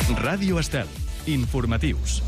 Ràdio Estel. Informatius.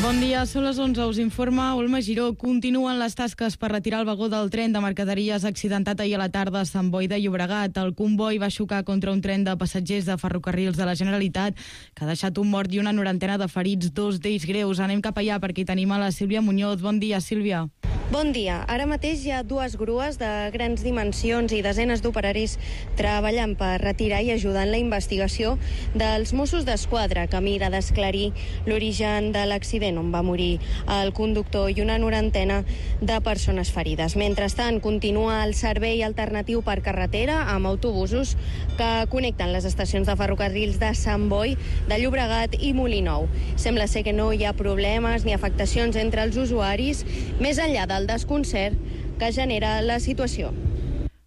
Bon dia, són les 11, us informa Olma Giró. Continuen les tasques per retirar el vagó del tren de mercaderies accidentat ahir a la tarda a Sant Boi de Llobregat. El comboi va xocar contra un tren de passatgers de Ferrocarrils de la Generalitat que ha deixat un mort i una norantena de ferits, 2 d'ells greus. Anem cap allà perquè hi tenim a la Sílvia Muñoz. Bon dia, Sílvia. Bon dia. Ara mateix hi ha 2 grues de grans dimensions i desenes d'operaris treballant per retirar i ajudar en la investigació dels Mossos d'Esquadra, que mira d'esclarir l'origen de l'accident on va morir el conductor i una norantena de persones ferides. Mentrestant, continua el servei alternatiu per carretera amb autobusos que connecten les estacions de ferrocarrils de Sant Boi, de Llobregat i Molinou. Sembla ser que no hi ha problemes ni afectacions entre els usuaris, més enllà del desconcert que genera la situació.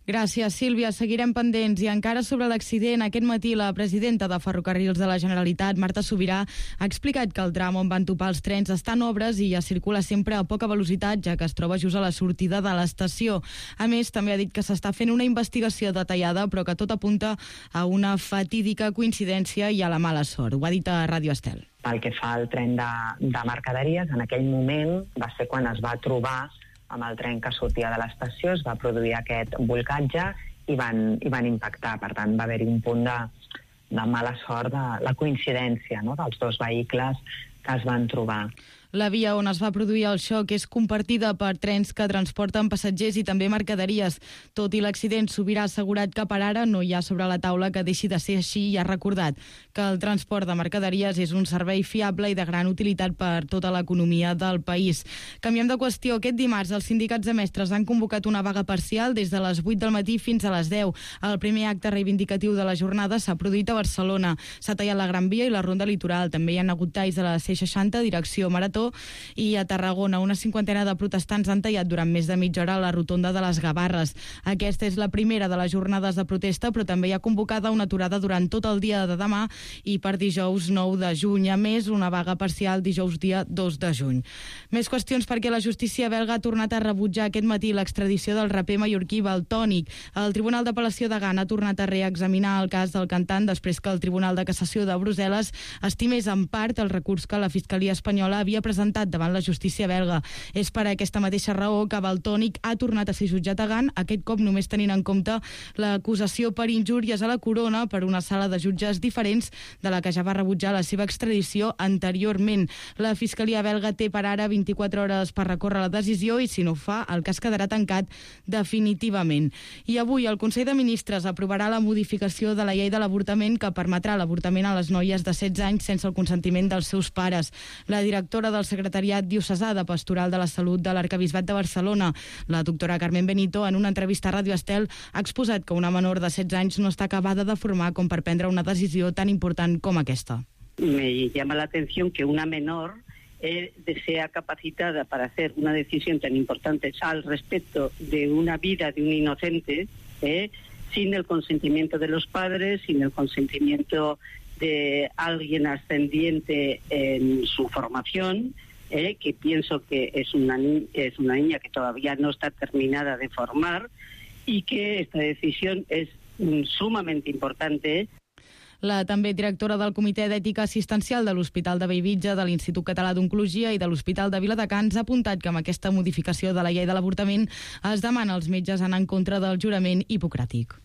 Gràcies, Sílvia. Seguirem pendents. I encara sobre l'accident, aquest matí la presidenta de Ferrocarrils de la Generalitat, Marta Subirà, ha explicat que el tram on van topar els trens està en obres i ja circula sempre a poca velocitat, ja que es troba just a la sortida de l'estació. A més, també ha dit que s'està fent una investigació detallada, però que tot apunta a una fatídica coincidència i a la mala sort. Ho ha dit a Ràdio Estel. Pel que fa al tren de mercaderies, en aquell moment va ser quan es va trobar amb el tren que sortia de l'estació, es va produir aquest bolcatge i van impactar. Per tant, va haver-hi un punt de mala sort, de la coincidència, no?, dels 2 vehicles que es van trobar. La via on es va produir el xoc és compartida per trens que transporten passatgers i també mercaderies. Tot i l'accident, Subirà ha assegurat que per ara no hi ha sobre la taula que deixi de ser així i ha recordat que el transport de mercaderies és un servei fiable i de gran utilitat per tota l'economia del país. Canviem de qüestió. Aquest dimarts els sindicats de mestres han convocat una vaga parcial des de les 8 del matí fins a les 10. El primer acte reivindicatiu de la jornada s'ha produït a Barcelona. S'ha tallat la Gran Via i la Ronda Litoral. També hi ha hagut talls a la C60, direcció Marató, i a Tarragona una 50ena de protestants han tallat durant més de mitja hora a la rotonda de les Gavarres. Aquesta és la primera de les jornades de protesta, però també hi ha convocada una aturada durant tot el dia de demà i per dijous 9 de juny. A més, una vaga parcial dijous dia 2 de juny. Més qüestions perquè la justícia belga ha tornat a rebutjar aquest matí l'extradició del raper mallorquí Valtònyc. El Tribunal d'Apel·lació de Gant ha tornat a reexaminar el cas del cantant després que el Tribunal de Cassació de Brussel·les estimés en part el recurs que la Fiscalia espanyola havia presentat davant la justícia belga. És per aquesta mateixa raó que Valtònyc ha tornat a ser jutjat a Gant, aquest cop només tenint en compte l'acusació per injúries a la corona per una sala de jutges diferents de la que ja va rebutjar la seva extradició anteriorment. La Fiscalia belga té per ara 24 hores per recórrer la decisió i si no ho fa, el cas quedarà tancat definitivament. I avui el Consell de Ministres aprovarà la modificació de la llei de l'avortament que permetrà l'avortament a les noies de 16 anys sense el consentiment dels seus pares. La directora del Secretariat Diocesà de Pastoral de la Salut de l'Arquebisbat de Barcelona, la doctora Carmen Benito, en una entrevista a Ràdio Estel, ha exposat que una menor de 16 anys no està acabada de formar com per prendre una decisió tan important com aquesta. Me llama la atención que una menor sea capacitada para hacer una decisión tan importante al respecto de una vida de un inocente, sin el consentimiento de los padres, sin el consentimiento de alguien ascendiente en su formación, que pienso que es una niña que todavía no está terminada de formar y que esta decisión es sumamente importante. La també directora del Comitè d'Ètica Assistencial de l'Hospital de Bellvitge, de l'Institut Català d'Oncologia i de l'Hospital de Viladecans ha apuntat que amb aquesta modificació de la llei de l'avortament es demana als metges anar en contra del jurament hipocràtic.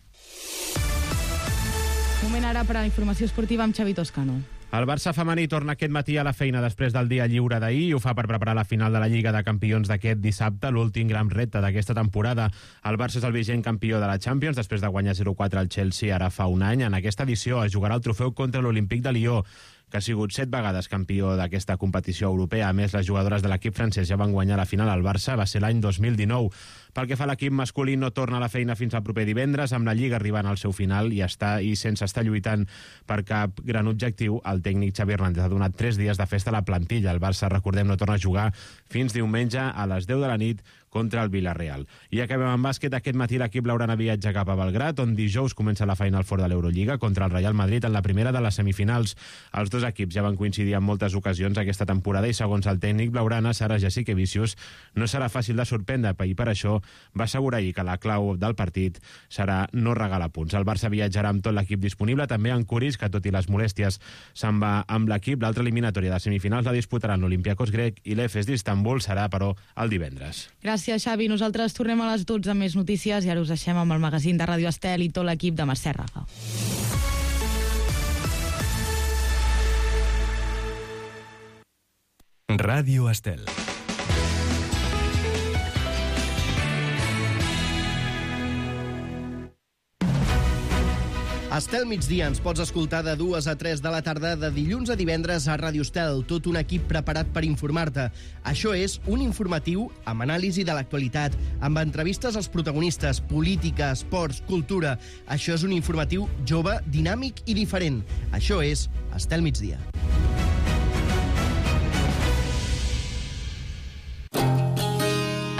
Moment ara per a la informació esportiva amb Xavi Toscano. El Barça femení torna aquest matí a la feina després del dia lliure d'ahir i ho fa per preparar la final de la Lliga de Campions d'aquest dissabte, l'últim gran repte d'aquesta temporada. El Barça és el vigent campió de la Champions després de guanyar 0-4 al Chelsea ara fa un any. En aquesta edició es jugarà el trofeu contra l'Olímpic de Lió, que ha sigut 7 vegades campió d'aquesta competició europea. A més, les jugadores de l'equip francès ja van guanyar la final al Barça, va ser l'any 2019. Pel que fa a l'equip masculí, no torna a la feina fins al proper divendres, amb la Lliga arribant al seu final i sense estar lluitant per cap gran objectiu. El tècnic Xavi Hernández ha donat 3 dies de festa a la plantilla. El Barça, recordem, no torna a jugar fins diumenge a les 10 de la nit contra el Villarreal. I acabem amb bàsquet. Aquest matí l'equip blaugrana viatja cap a Belgrat, on dijous comença la Final Four de l'Eurolliga contra el Real Madrid en la primera de les semifinals. Els dos equips ja van coincidir en moltes ocasions aquesta temporada i, segons el tècnic blaugrana, Sara Jasikevičius, no serà fàcil de sorprendre, i per això va assegurar ahir que la clau del partit serà no regalar punts. El Barça viatjarà amb tot l'equip disponible, també en Kuris, que tot i les molèsties se'n va amb l'equip. L'altra eliminatòria de semifinals la disputaran l'Olympiacos grec i l'Efes d'Istanbul, serà, però, el divendres. Gràcies, Xavi. Nosaltres tornem a les 12 amb més notícies i ara us deixem amb el magazín de Ràdio Estel i tot l'equip de Mercè Raga. Ràdio Estel. Estel migdia ens pots escoltar de 2 a 3 de la tarda de dilluns a divendres a Ràdio Estel, tot un equip preparat per informar-te. Això és un informatiu amb anàlisi de l'actualitat, amb entrevistes als protagonistes, política, esports, cultura. Això és un informatiu jove, dinàmic i diferent. Això és Estel migdia.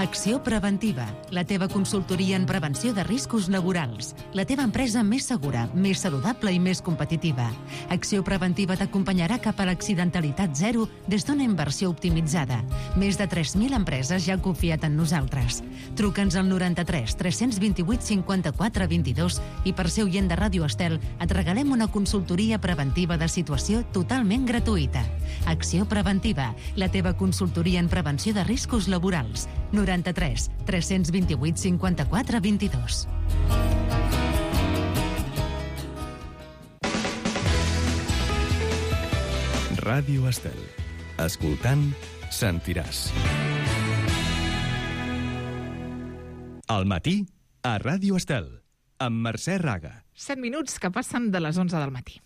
Acció Preventiva, la teva consultoria en prevenció de riscos laborals. La teva empresa més segura, més saludable i més competitiva. Acció Preventiva t'acompanyarà cap a l'accidentalitat zero des d'una inversió optimitzada. Més de 3.000 empreses ja han confiat en nosaltres. Truca'ns al 93 328 54 22 i per ser oient de Ràdio Estel et regalem una consultoria preventiva de situació totalment gratuïta. Acció Preventiva, la teva consultoria en prevenció de riscos laborals. 93 328 54 22. Ràdio Estel. Escoltant, sentiràs. Al matí, a Ràdio Estel, amb Mercè Raga. 7 minuts que passen de les 11 del matí.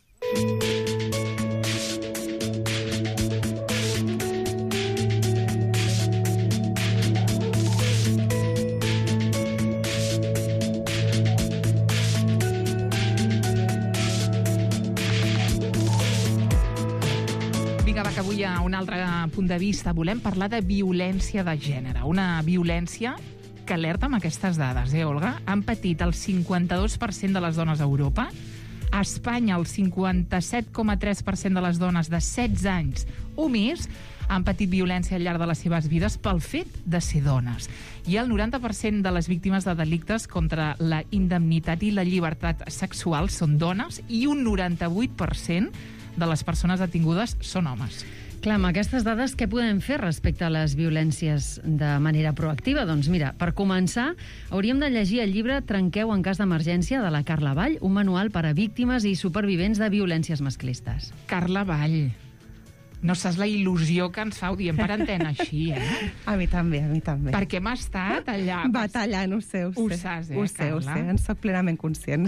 Que avui a un altre punt de vista volem parlar de violència de gènere. Una violència que alerta amb aquestes dades, Olga? Han patit el 52% de les dones a Europa. A Espanya, el 57,3% de les dones de 16 anys o més han patit violència al llarg de les seves vides pel fet de ser dones. I el 90% de les víctimes de delictes contra la indemnitat i la llibertat sexual són dones i un 98% de les persones detingudes són homes. Clar, amb aquestes dades, què podem fer respecte a les violències de manera proactiva? Doncs mira, per començar, hauríem de llegir el llibre Trenqueu en cas d'emergència de la Carla Vall, un manual per a víctimes i supervivents de violències masclistes. Carla Vall. No saps la il·lusió que ens fa, ho diem per antena així, A mi també, a mi també. Perquè hem estat allà... Batallant, ho sé. Ho saps, Ho sé, en soc plenament conscient.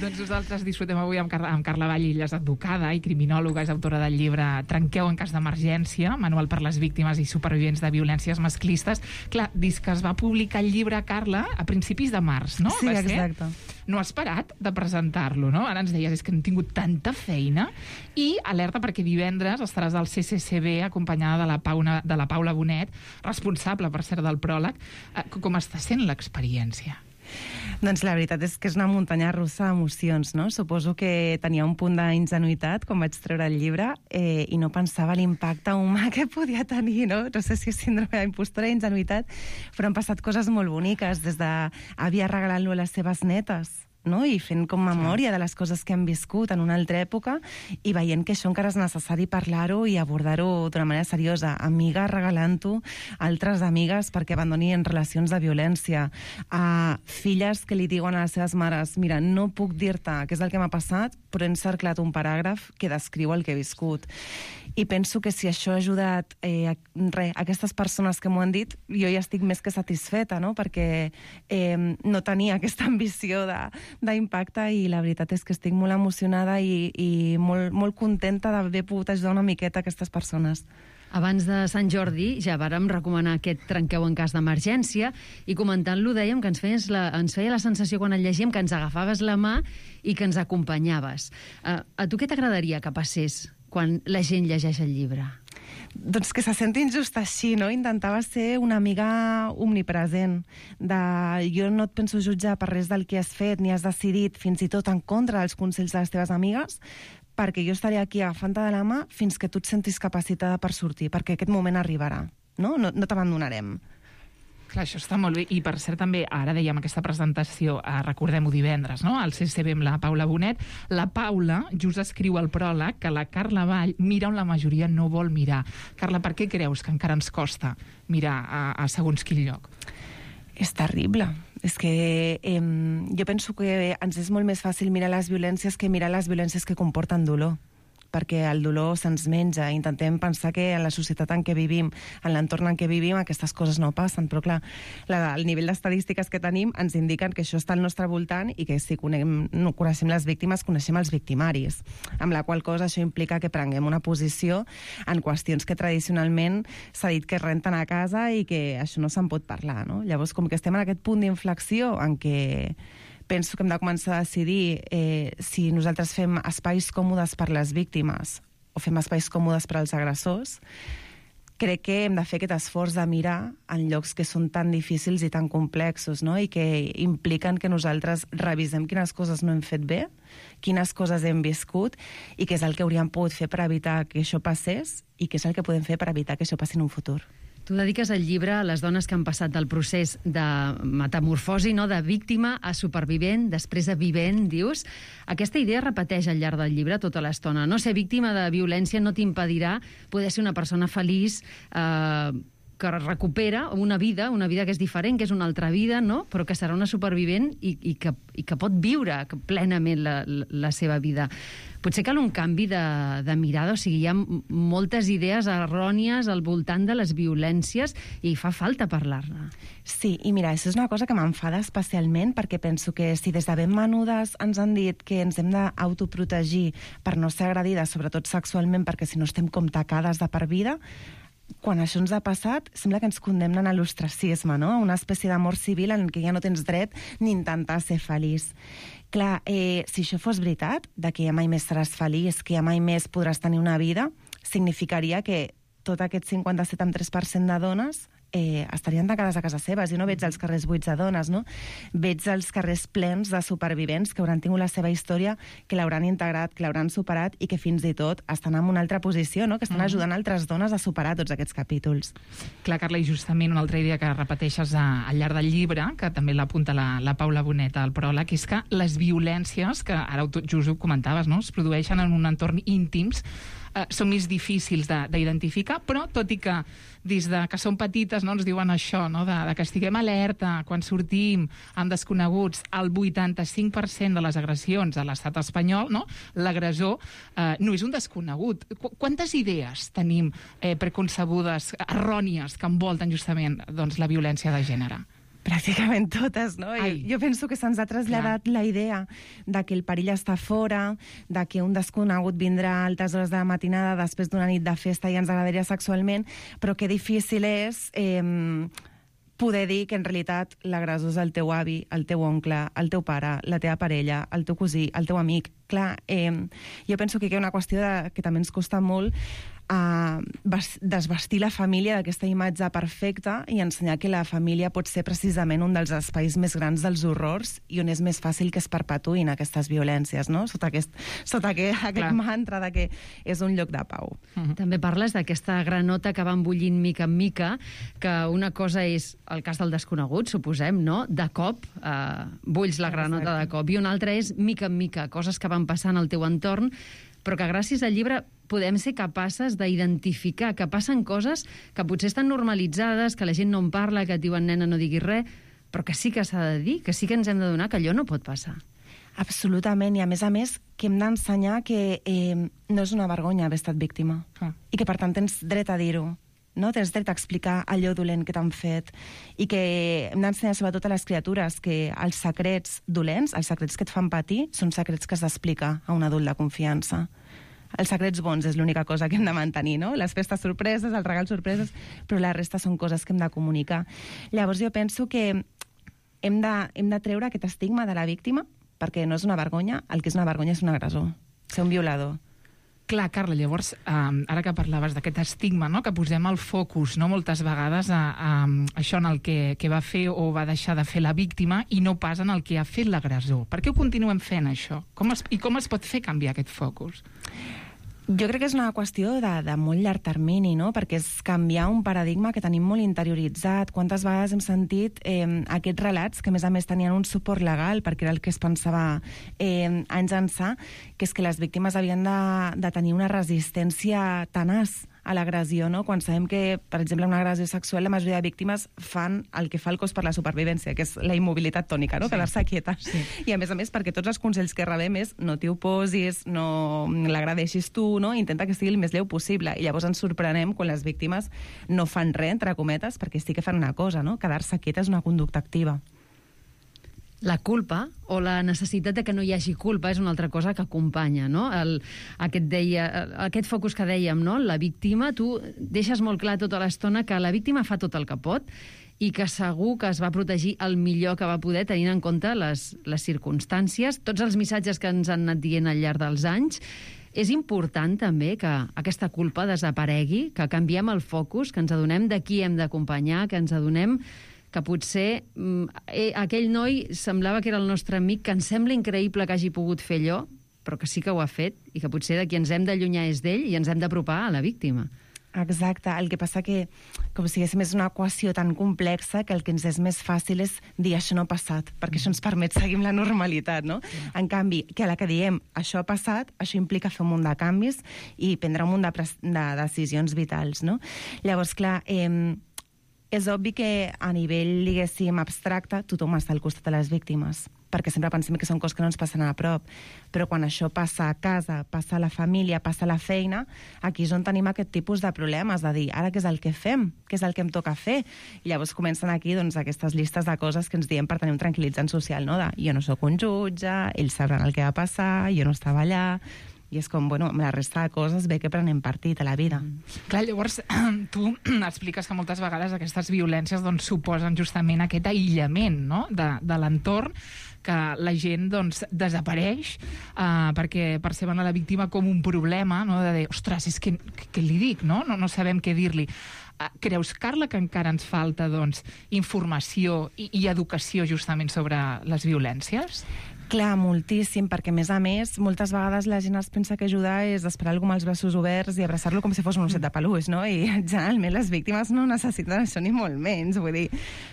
Doncs nosaltres disfrutem avui amb Carla Vall. Ella és advocada i criminòloga, és autora del llibre Trenqueu en cas d'emergència, manual per les víctimes i supervivents de violències masclistes. Clar, dius que es va publicar el llibre, Carla, a principis de març, no? Sí, exacte. No has parat de presentar-lo, no? Ara ens deies, és que hem tingut tanta feina. I alerta perquè divendres estaràs al CCCB acompanyada de la Paula Bonet, responsable, per cert, del pròleg. Com està sent l'experiència? Doncs la veritat és que és una muntanya russa d'emocions, no? Suposo que tenia un punt d'ingenuïtat quan vaig treure el llibre i no pensava l'impacte humà que podia tenir, no? No sé si és síndrome d'impostora i ingenuïtat, però han passat coses molt boniques, des d'àvia regalant-lo a les seves netes, no? I fent com memòria de les coses que hem viscut en una altra època i veient que això encara és necessari parlar-ho i abordar-ho d'una manera seriosa. Amigues regalant-ho a altres amigues perquè abandonin relacions de violència. Filles que li diuen a les seves mares: mira, no puc dir-te què és el que m'ha passat, però he encerclat un paràgraf que descriu el que he viscut. I penso que si això ha ajudat aquestes persones que m'ho han dit, jo ja estic més que satisfeta, no? Perquè no tenia aquesta ambició d'impacte i la veritat és que estic molt emocionada i molt contenta d'haver pogut ajudar una miqueta a aquestes persones. Abans de Sant Jordi ja vàrem recomanar aquest Trenqueu en cas d'emergència i comentant-lo dèiem que ens feia la sensació quan el llegíem que ens agafaves la mà i que ens acompanyaves. A tu què t'agradaria que passés quan la gent llegeix el llibre? doncs que se senti injust així, no? Intentava ser una amiga omnipresent, de jo no et penso jutjar per res del que has fet ni has decidit, fins i tot en contra dels consells de les teves amigues, perquè jo estaré aquí agafant-te de la mà fins que tu et sentis capacitada per sortir, perquè aquest moment arribarà, no? No t'abandonarem. Clar, això està molt bé. I, per cert, també, ara dèiem aquesta presentació, recordem-ho divendres, no?, al CCB amb la Paula Bonet. La Paula just escriu al pròleg que la Carla Vall mira on la majoria no vol mirar. Carla, per què creus que encara ens costa mirar a segons quin lloc? És terrible. És que jo penso que ens és molt més fàcil mirar les violències que mirar les violències que comporten dolor, perquè el dolor se'ns menja. Intentem pensar que en la societat en què vivim, en l'entorn en què vivim, aquestes coses no passen, però clar, el nivell d'estadístiques que tenim ens indiquen que això està al nostre voltant i que si coneixem les víctimes, coneixem els victimaris, amb la qual cosa això implica que prenguem una posició en qüestions que tradicionalment s'ha dit que es renten a casa i que això no se'n pot parlar, no? Llavors, com que estem en aquest punt d'inflexió en què penso que hem de començar a decidir si nosaltres fem espais còmodes per les víctimes o fem espais còmodes per als agressors, crec que hem de fer aquest esforç de mirar en llocs que són tan difícils i tan complexos, no? I que impliquen que nosaltres revisem quines coses no hem fet bé, quines coses hem viscut i què és el que hauríem pogut fer per evitar que això passés i què és el que podem fer per evitar que això passi en un futur. Tu dediques el llibre a les dones que han passat del procés de metamorfosi, no?, de víctima a supervivent, després a vivent, dius. Aquesta idea repeteix al llarg del llibre tota l'estona. No ser víctima de violència no t'impedirà poder ser una persona feliç, que recupera una vida que és diferent, que és una altra vida, no?, però que serà una supervivent i que pot viure plenament la seva vida. Potser cal un canvi de mirada, o sigui, hi ha moltes idees errònies al voltant de les violències i fa falta parlar-ne. Sí, i mira, això és una cosa que m'enfada especialment perquè penso que si des de ben menudes ens han dit que ens hem d'autoprotegir per no ser agredides, sobretot sexualment, perquè si no estem com tacades de per vida, quan això ens ha passat, sembla que ens condemnen a l'ostracisme, no? A una espècie d'amor civil en què ja no tens dret ni intentar ser feliç. Clar, si això fos veritat, de que ja mai més seràs feliç, que ja mai més podràs tenir una vida, significaria que tot aquest 57,3% de dones estarien tancades a casa seves. Jo no veig els carrers buits de dones, no? Veig els carrers plens de supervivents que hauran tingut la seva història, que l'hauran integrat, que l'hauran superat i que fins i tot estan en una altra posició, no? Que estan ajudant altres dones a superar tots aquests capítols. Clar, Carla, i justament una altra idea que repeteixes al llarg del llibre, que també l'apunta la Paula Bonet al pròleg, és que les violències, que ara just ho comentaves, no?, es produeixen en un entorn íntims, són més difícils d'identificar, però tot i que des de que som petites no, ens diuen això, no, de que estiguem alerta quan sortim amb desconeguts, el 85% de les agressions a l'estat espanyol, no, l'agressor no és un desconegut. Quantes idees tenim preconcebudes, errònies, que envolten justament doncs, la violència de gènere? Pràcticament totes, no? Jo penso que se'ns ha traslladat la idea de que el perill està fora, de que un desconegut vindrà a altes hores de la matinada després d'una nit de festa i ens agradaria sexualment, però que difícil és poder dir que en realitat l'agressor és el teu avi, el teu oncle, el teu pare, la teva parella, el teu cosí, el teu amic. Clar, jo penso que hi ha una qüestió que també ens costa molt desvestir la família d'aquesta imatge perfecta i ensenyar que la família pot ser precisament un dels espais més grans dels horrors i on és més fàcil que es perpetuïn aquestes violències, no? Sota aquest mantra de que és un lloc de pau. També parles d'aquesta granota que va embullint mica en mica, que una cosa és el cas del desconegut, suposem, no? De cop, bulls la granota de cop, i una altra és mica en mica, coses que van passant al teu entorn, però que gràcies al llibre podem ser capaces d'identificar que passen coses que potser estan normalitzades, que la gent no en parla, que et diuen nena no diguis res, però que sí que s'ha de dir, que sí que ens hem de donar que allò no pot passar. Absolutament, i a més que hem d'ensenyar que no és una vergonya haver estat víctima i que per tant tens dret a dir-ho. No? Tens dret a explicar allò dolent que t'han fet i que hem d'ensenyar sobretot a les criatures que els secrets dolents, els secrets que et fan patir, són secrets que s'explica a un adult de confiança. Els secrets bons és l'única cosa que hem de mantenir, no? Les festes sorpreses, els regals sorpreses, però la resta són coses que hem de comunicar. Llavors jo penso que hem de treure aquest estigma de la víctima, perquè no és una vergonya, el que és una vergonya és un agressor, ser un violador. Clar, Carla, llavors, ara que parlaves d'aquest estigma, no?, que posem el focus, no?, moltes vegades a això en el que va fer o va deixar de fer la víctima i no pas en el que ha fet l'agressor. Per què ho continuem fent, això? Com es pot fer canviar aquest focus? Jo crec que és una qüestió de molt llarg termini, no? Perquè és canviar un paradigma que tenim molt interioritzat. Quantes vegades hem sentit aquests relats, que a més tenien un suport legal, perquè era el que es pensava anys ençà, que és que les víctimes havien de tenir una resistència tenaç a l'agressió, no? Quan sabem que, per exemple, una agressió sexual, la majoria de víctimes fan el que fa el cos per la supervivència, que és la immobilitat tònica, no? Sí. Quedar-se quieta. Sí. I a més, perquè tots els consells que rebem és no t'hi oposis, no l'agredeixis tu, no? Intenta que sigui el més lleu possible. I llavors ens sorprenem quan les víctimes no fan res, entre cometes, perquè sí que fan una cosa, no? Quedar-se quieta és una conducta activa. La culpa o la necessitat de que no hi hagi culpa és una altra cosa que acompanya, no? Aquest focus que dèiem, no? La víctima, tu deixes molt clar tota l'estona que la víctima fa tot el que pot i que segur que es va protegir el millor que va poder, tenint en compte les circumstàncies, tots els missatges que ens han anat dient al llarg dels anys. És important també que aquesta culpa desaparegui, que canviem el focus, que ens adonem de qui hem d'acompanyar, que ens adonem que potser aquell noi semblava que era el nostre amic, que ens sembla increïble que hagi pogut fer allò, però que sí que ho ha fet, i que potser de qui ens hem d'allunyar és d'ell i ens hem d'apropar a la víctima. Exacte, el que passa que, com si és una equació tan complexa que el que ens és més fàcil és dir això no ha passat, perquè això ens permet seguir amb la normalitat, no? Sí. En canvi, que a la que diem això ha passat, això implica fer un munt de canvis i prendre un munt de decisions vitals, no? Llavors, clar, és obvi que a nivell, diguéssim, abstracte, tothom està al costat de les víctimes, perquè sempre pensem que són coses que no ens passen a prop. Però quan això passa a casa, passa a la família, passa a la feina, aquí és on tenim aquest tipus de problemes, de dir, ara què és el que fem? Què és el que em toca fer? I llavors comencen aquí aquestes llistes de coses que ens diem per tenir un tranquil·litzant social, no? De jo no sóc un jutge, ells sabran el que va passar, jo no estava allà. I és com, bueno, amb la resta de coses bé que prenem partit a la vida. Clar, llavors, tu expliques que moltes vegades aquestes violències doncs, suposen justament aquest aïllament, no?, de l'entorn, que la gent doncs, desapareix perquè perceben a la víctima com un problema, no?, de dir, ostres, és que què li dic, no? No sabem què dir-li. Creus, Carla, que encara ens falta doncs, informació i educació justament sobre les violències? Clar, moltíssim, perquè a més, moltes vegades la gent es pensa que ajudar és esperar algú amb els braços oberts i abraçar-lo com si fos un osset de peluix, no? I generalment les víctimes no necessiten això ni molt menys. Vull dir,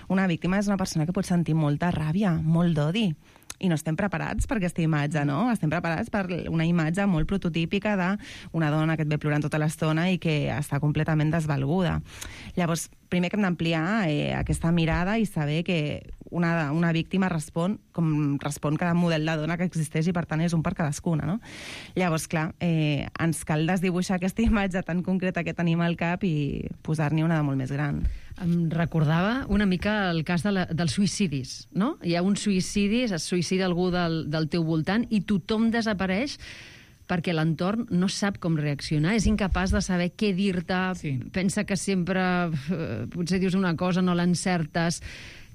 una víctima és una persona que pot sentir molta ràbia, molt d'odi, i no estem preparats per aquesta imatge, no? Estem preparats per una imatge molt prototípica d'una dona que et ve plorant tota l'estona i que està completament desvalguda. Llavors, primer que hem d'ampliar aquesta mirada i saber que una víctima respon com respon cada model de dona que existeix i, per tant, és un per cadascuna, no? Llavors, clar, ens cal desdibuixar aquesta imatge tan concreta que tenim al cap i posar-n'hi una de molt més gran. Em recordava una mica el cas dels suïcidis, no? Hi ha un suïcidi, es suïcida algú del teu voltant i tothom desapareix perquè l'entorn no sap com reaccionar, és incapaç de saber què dir-te, sí. Pensa que sempre potser dius una cosa, no l'encertes.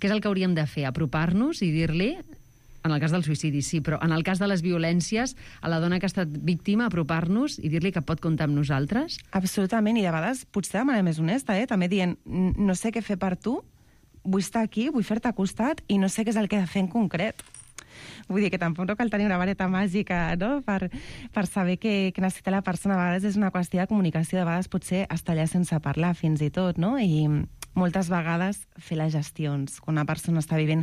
Què és el que hauríem de fer? Apropar-nos i dir-li, en el cas del suïcidi sí, però en el cas de les violències, a la dona que ha estat víctima, apropar-nos i dir-li que pot comptar amb nosaltres? Absolutament, i de vegades potser de manera més honesta, també dient, no sé què fer per tu, vull estar aquí, vull fer-te costat i no sé què és el que he de fer en concret. Vull dir que tampoc no cal tenir una vareta màgica, no?, per saber què necessita la persona. A vegades és una qüestió de comunicació, de vegades potser estar allà sense parlar fins i tot, no? I moltes vegades fer les gestions. Quan una persona està vivint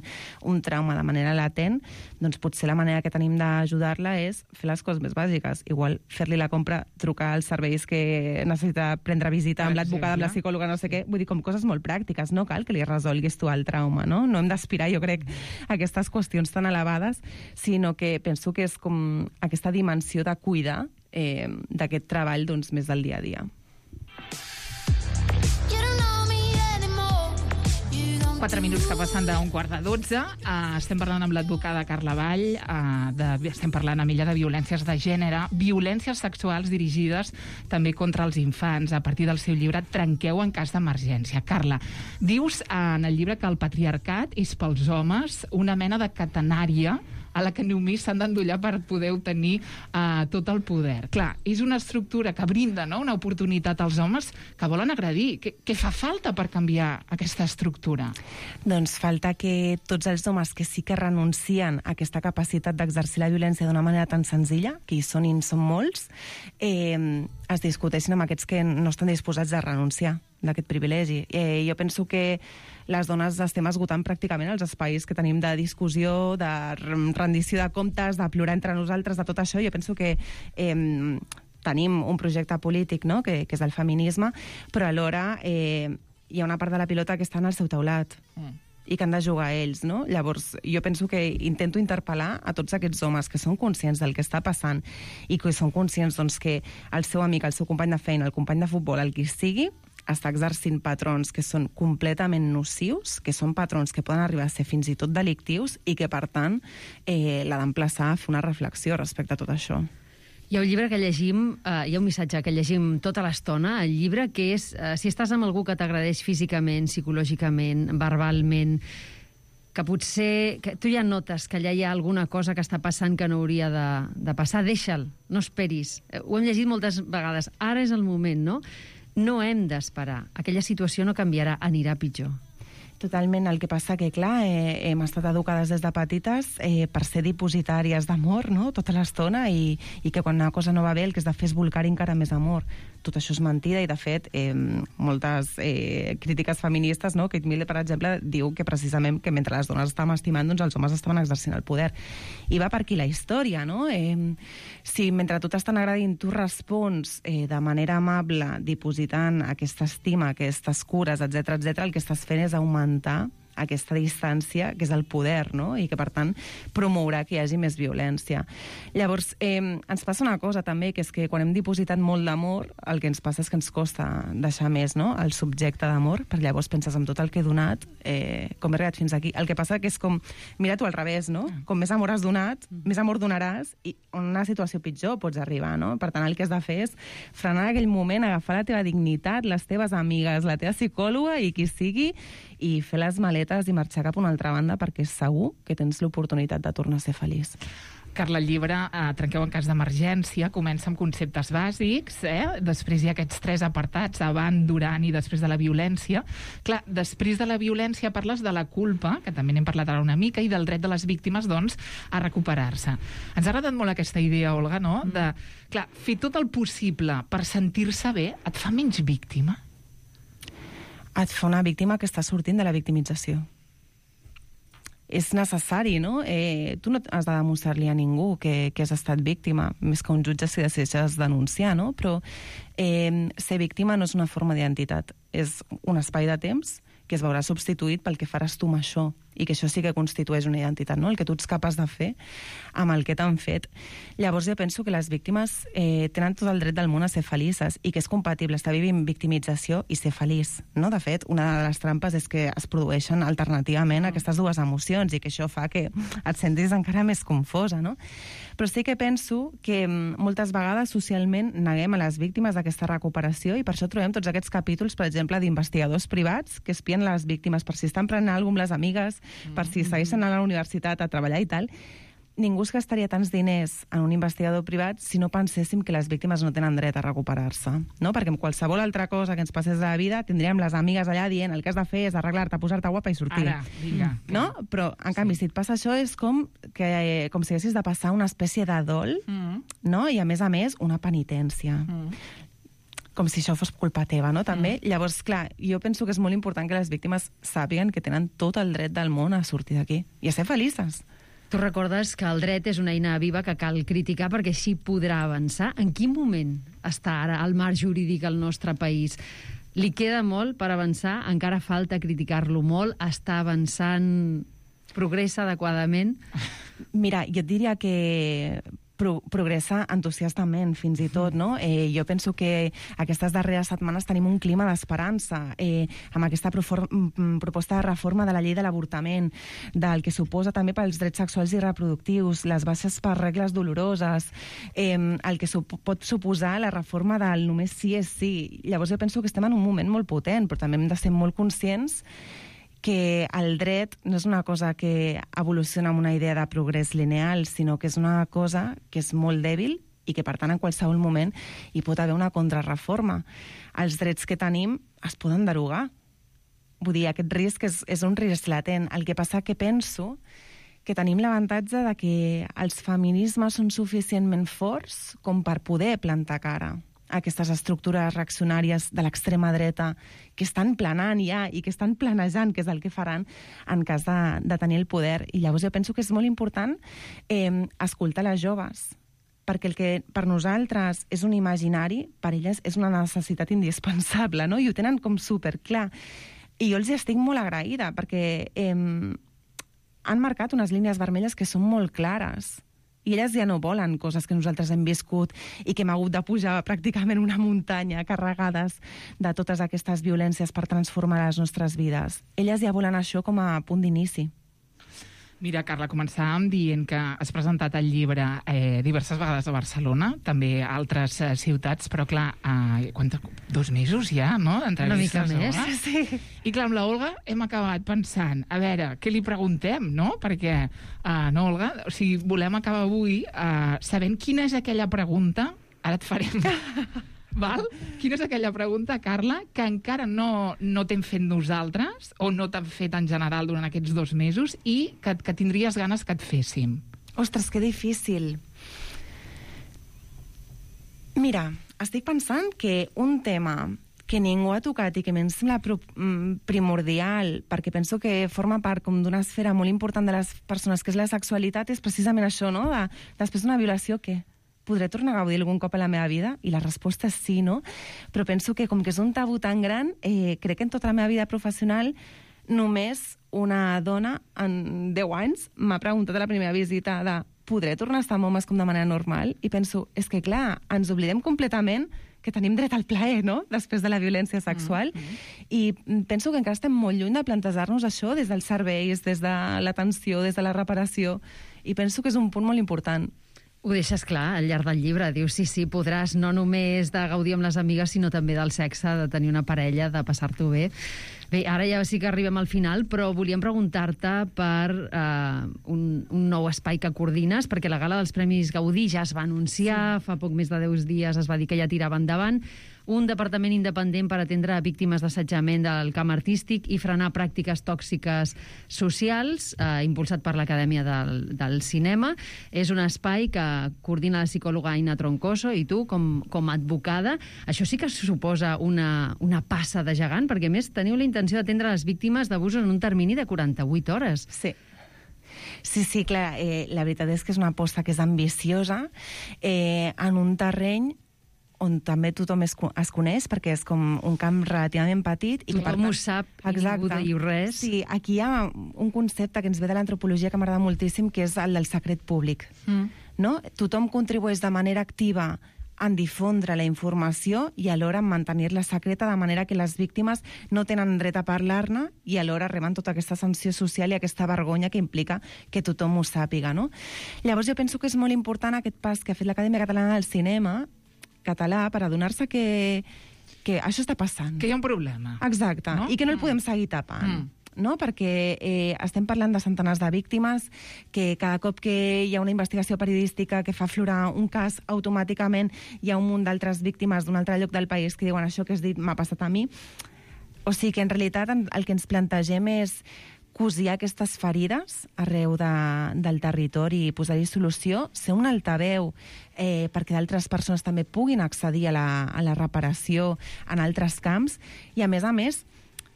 un trauma de manera latent, doncs potser la manera que tenim d'ajudar-la és fer les coses més bàsiques. Igual fer-li la compra, trucar als serveis que necessita prendre visita amb l'advocada, amb la psicòloga, no sé què. Vull dir, com coses molt pràctiques. No cal que li resolguis tu el trauma, no? No hem d'aspirar, jo crec, a aquestes qüestions tan elevades, sinó que penso que és com aquesta dimensió de cuidar d'aquest treball doncs, més del dia a dia. 4 minuts que passen d'un 11:15. Estem parlant amb l'advocada Carla Vall, estem parlant amb ella de violències de gènere, violències sexuals dirigides també contra els infants, a partir del seu llibre Trenqueu en cas d'emergència. Carla, dius en el llibre que el patriarcat és pels homes una mena de catenària a la que només s'han d'endollar per poder obtenir tot el poder. Clar, és una estructura que brinda, no?, una oportunitat als homes que volen agredir. Què fa falta per canviar aquesta estructura? Doncs falta que tots els homes que sí que renuncien a aquesta capacitat d'exercir la violència d'una manera tan senzilla, que hi són i en són molts, es discuteixin amb aquests que no estan disposats a renunciar d'aquest privilegi. Jo penso que les dones estem esgotant pràcticament els espais que tenim de discussió, de rendició de comptes, de plorar entre nosaltres, de tot això. Jo penso que tenim un projecte polític, no?, que és el feminisme, però alhora hi ha una part de la pilota que està en el seu teulat i que han de jugar ells, no? Llavors, jo penso que intento interpel·lar a tots aquests homes que són conscients del que està passant i que són conscients, doncs, que el seu amic, el seu company de feina, el company de futbol, el qui sigui, està exercint patrons que són completament nocius, que són patrons que poden arribar a ser fins i tot delictius i que, per tant, l'ha d'emplaçar a fer una reflexió respecte a tot això. Hi ha un llibre que llegim, hi ha un missatge que llegim tota l'estona, el llibre, que és si estàs amb algú que t'agradeix físicament, psicològicament, verbalment, que potser que tu ja notes que allà hi ha alguna cosa que està passant que no hauria de passar, deixa'l, no esperis. Ho hem llegit moltes vegades. Ara és el moment, no? No hem d'esperar. Aquella situació no canviarà, anirà pitjor. Totalment. El que passa que, clar, hem estat educades des de petites per ser dipositàries d'amor, no?, tota l'estona, i que quan una cosa no va bé el que has de fer és volcar encara més amor. Tot això és mentida i, de fet, moltes crítiques feministes, no?, Kate Miller, per exemple, diu que precisament que mentre les dones estàvem estimant, doncs els homes estaven exercint el poder. I va per aquí la història, no? Si mentre tu t'estan agradint tu respons de manera amable, dipositant aquesta estima, aquestes cures, etc, el que estàs fent és augmentar aquesta distància, que és el poder, no?, i que, per tant, promourà que hi hagi més violència. Llavors, ens passa una cosa, també, que és que quan hem dipositat molt d'amor, el que ens passa és que ens costa deixar més, no?, el subjecte d'amor, perquè llavors penses en tot el que he donat, com he arribat fins aquí. El que passa que és com, mira tu al revés, no?, com més amor has donat, més amor donaràs, i en una situació pitjor pots arribar, no? Per tant, el que has de fer és frenar en aquell moment, agafar la teva dignitat, les teves amigues, la teva psicòloga i qui sigui, i fer les maletes i marxar cap a una altra banda, perquè segur que tens l'oportunitat de tornar a ser feliç. Carla, el llibre Trenqueu en cas d'emergència comença amb conceptes bàsics, després hi ha aquests 3 apartats, abans, durant i després de la violència. Clar, després de la violència parles de la culpa, que també n'hem parlat ara una mica, i del dret de les víctimes, doncs, a recuperar-se. Ens ha agradat molt aquesta idea, Olga, no?, de, clar, fer tot el possible per sentir-se bé et fa menys víctima? Et fa una víctima que està sortint de la victimització. És necessari, no? Tu no has de demostrar-li a ningú que has estat víctima, més que un jutge si decideixes denunciar, no? Però ser víctima no és una forma d'identitat, és un espai de temps que es veurà substituït pel que faràs tu amb això, i que això sí que constitueix una identitat, no?, el que tu ets capaç de fer amb el que t'han fet. Llavors jo penso que les víctimes tenen tot el dret del món a ser felices i que és compatible estar vivint victimització i ser feliç, no? De fet, una de les trampes és que es produeixen alternativament aquestes dues emocions i que això fa que et sentis encara més confosa, no? Però sí que penso que moltes vegades socialment neguem a les víctimes d'aquesta recuperació i per això trobem tots aquests capítols, per exemple, d'investigadors privats que espien les víctimes per si estan prenent alguna cosa amb les amigues, per si segueixen a la universitat a treballar i tal. Ningú es gastaria tants diners en un investigador privat si no penséssim que les víctimes no tenen dret a recuperar-se, no? Perquè amb qualsevol altra cosa que ens passés a la vida tindríem les amigues allà dient el que has de fer és arreglar-te, posar-te guapa i sortir. Ara, vinga. No? Però, en canvi, si et passa això és com si haguessis de passar una espècie de dol, no? I, a més, una penitència. Com si això fos culpa teva, no?, també. Llavors, clar, jo penso que és molt important que les víctimes sàpiguen que tenen tot el dret del món a sortir d'aquí i a ser felices. Tu recordes que el dret és una eina viva que cal criticar perquè així podrà avançar. En quin moment està ara el marc jurídic al nostre país? Li queda molt per avançar? Encara falta criticar-lo molt? Està avançant? Progressa adequadament? Mira, jo et diria que progressa entusiastament, fins i tot, no? Jo penso que aquestes darreres setmanes tenim un clima d'esperança amb aquesta proposta de reforma de la llei de l'avortament, del que suposa també pels drets sexuals i reproductius, les baixes per regles doloroses, el que pot suposar la reforma del només sí és sí. Llavors jo penso que estem en un moment molt potent, però també hem de ser molt conscients que el dret no és una cosa que evoluciona amb una idea de progrés lineal, sinó que és una cosa que és molt dèbil i que, per tant, en qualsevol moment hi pot haver una contrarreforma. Els drets que tenim es poden derogar. Vull dir, aquest risc és un risc latent. El que passa que penso que tenim l'avantatge de que els feminismes són suficientment forts com per poder plantar cara a aquestes estructures reaccionàries de l'extrema dreta que estan planant ja i que estan planejant, que és el que faran en cas de tenir el poder. I llavors jo penso que és molt important escoltar les joves, perquè el que per nosaltres és un imaginari, per elles és una necessitat indispensable, no? I ho tenen com superclar. I jo els estic molt agraïda, perquè han marcat unes línies vermelles que són molt clares. I elles ja no volen coses que nosaltres hem viscut i que hem hagut de pujar pràcticament una muntanya carregades de totes aquestes violències per transformar les nostres vides. Elles ja volen això com a punt d'inici. Mira, Carla, començàvem dient que has presentat el llibre diverses vegades a Barcelona, també a altres ciutats, però clar, 2 mesos ja, no? Una mica més, sí. I clar, amb la Olga hem acabat pensant, a veure, què li preguntem, no? Perquè, no, Olga, o sigui, volem acabar avui sabent quina és aquella pregunta, ara et farem... Val? Quina és aquella pregunta, Carla, que encara no t'hem fet nosaltres o no t'han fet en general durant aquests 2 mesos i que tindries ganes que et féssim? Ostres, que difícil. Mira, estic pensant que un tema que ningú ha tocat i que a mi em sembla primordial, perquè penso que forma part com d'una esfera molt important de les persones, que és la sexualitat, és precisament això, no? Després d'una violació, què? Podré tornar a gaudir algun cop a la meva vida? I la resposta és sí, no? Però penso que com que és un tabú tan gran, crec que en tota la meva vida professional només una dona en 10 anys m'ha preguntat a la primera visita de podré tornar a estar amb homes com de manera normal? I penso, és que clar, ens oblidem completament que tenim dret al plaer, no?, després de la violència sexual. I penso que encara estem molt lluny de plantejar-nos això des dels serveis, des de l'atenció, des de la reparació. I penso que és un punt molt important. Ho deixes clar al llarg del llibre. Dius, sí, podràs no només de gaudir amb les amigues, sinó també del sexe, de tenir una parella, de passar-t'ho bé. Bé, ara ja sí que arribem al final, però volíem preguntar-te per un nou espai que coordines, perquè la gala dels Premis Gaudí ja es va anunciar, fa poc més de 10 dies es va dir que ja tirava endavant, un departament independent per atendre víctimes d'assetjament del camp artístic i frenar pràctiques tòxiques socials, impulsat per l'Acadèmia del Cinema. És un espai que coordina la psicòloga Aina Troncoso i tu, com a advocada. Això sí que suposa una passa de gegant, perquè a més teniu la intenció d'atendre les víctimes d'abusos en un termini de 48 hores. Sí. Sí, clar, la veritat és que és una aposta que és ambiciosa en un terreny on també tothom es coneix, perquè és com un camp relativament petit. I tothom ho sap, i ningú diu res. Sí, aquí hi ha un concepte que ens ve de l'antropologia que m'agrada moltíssim, que és el del secret públic. No? Tothom contribueix de manera activa en difondre la informació i alhora en mantenir-la secreta, de manera que les víctimes no tenen dret a parlar-ne i alhora reben tota aquesta sanció social i aquesta vergonya que implica que tothom ho sàpiga. No? Llavors jo penso que és molt important aquest pas que ha fet l'Acadèmia Catalana del Cinema català per adonar-se que això està passant. Que hi ha un problema. Exacte, no? I que no el podem seguir tapant. No? Perquè estem parlant de centenars de víctimes, que cada cop que hi ha una investigació periodística que fa aflorar un cas, automàticament hi ha un munt d'altres víctimes d'un altre lloc del país que diuen això que has dit m'ha passat a mi. O sigui que en realitat el que ens plantegem és cosir aquestes ferides arreu del territori i posar-hi solució, ser un altaveu perquè d'altres persones també puguin accedir a la reparació en altres camps i, a més,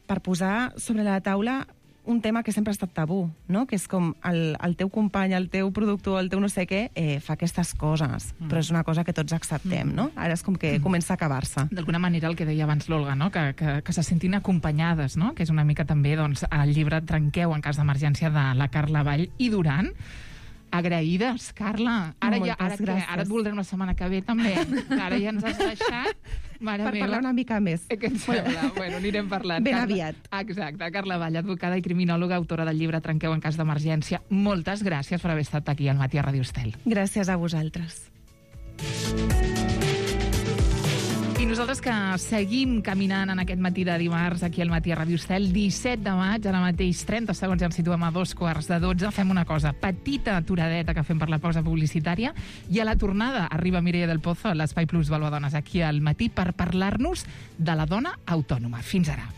per posar sobre la taula un tema que sempre ha estat tabú, no? Que és com el teu company, el teu productor, el teu no sé què, fa aquestes coses, però és una cosa que tots acceptem, no? Ara és com que comença a acabar-se. D'alguna manera, el que deia abans l'Olga, no? Que se sentin acompanyades, no? Que és una mica també, doncs, el llibre Trenqueu en cas d'emergència de la Carla Vall i Duran. Agraïdes, Carla. Ara et voldrem la setmana que ve, també. Ara ja ens has deixat. Mare per parlar una mica més. Què et sembla? Bueno, anirem parlant. Ben aviat. Exacte. Carla Vall, advocada i criminòloga, autora del llibre Trenqueu en cas d'emergència. Moltes gràcies per haver estat aquí al Matí a Ràdio Estel. Gràcies a vosaltres. I nosaltres que seguim caminant en aquest matí de dimarts aquí al Matí a Ràdio Estel, 17 de maig, ara mateix 30 segons, ja ens situem a 11:45. Fem una cosa, petita aturadeta que fem per la pausa publicitària, i a la tornada arriba Mireia del Pozo a l'Espai Plus Valua-Dones aquí al matí per parlar-nos de la dona autònoma. Fins ara.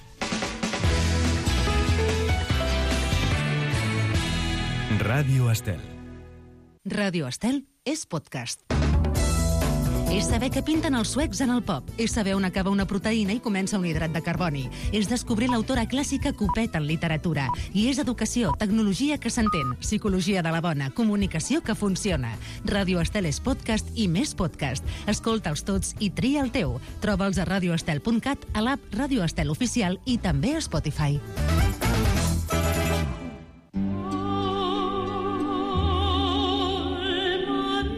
Ràdio Estel. Ràdio Estel és podcast. És saber què pinten els suecs en el pop. És saber on acaba una proteïna i comença un hidrat de carboni. És descobrir l'autora clàssica que ho peta en literatura. I és educació, tecnologia que s'entén, psicologia de la bona, comunicació que funciona. Ràdio Estel és podcast i més podcast. Escolta'ls tots i tria el teu. Troba'ls a radioestel.cat, a l'app Ràdio Estel Oficial i també a Spotify.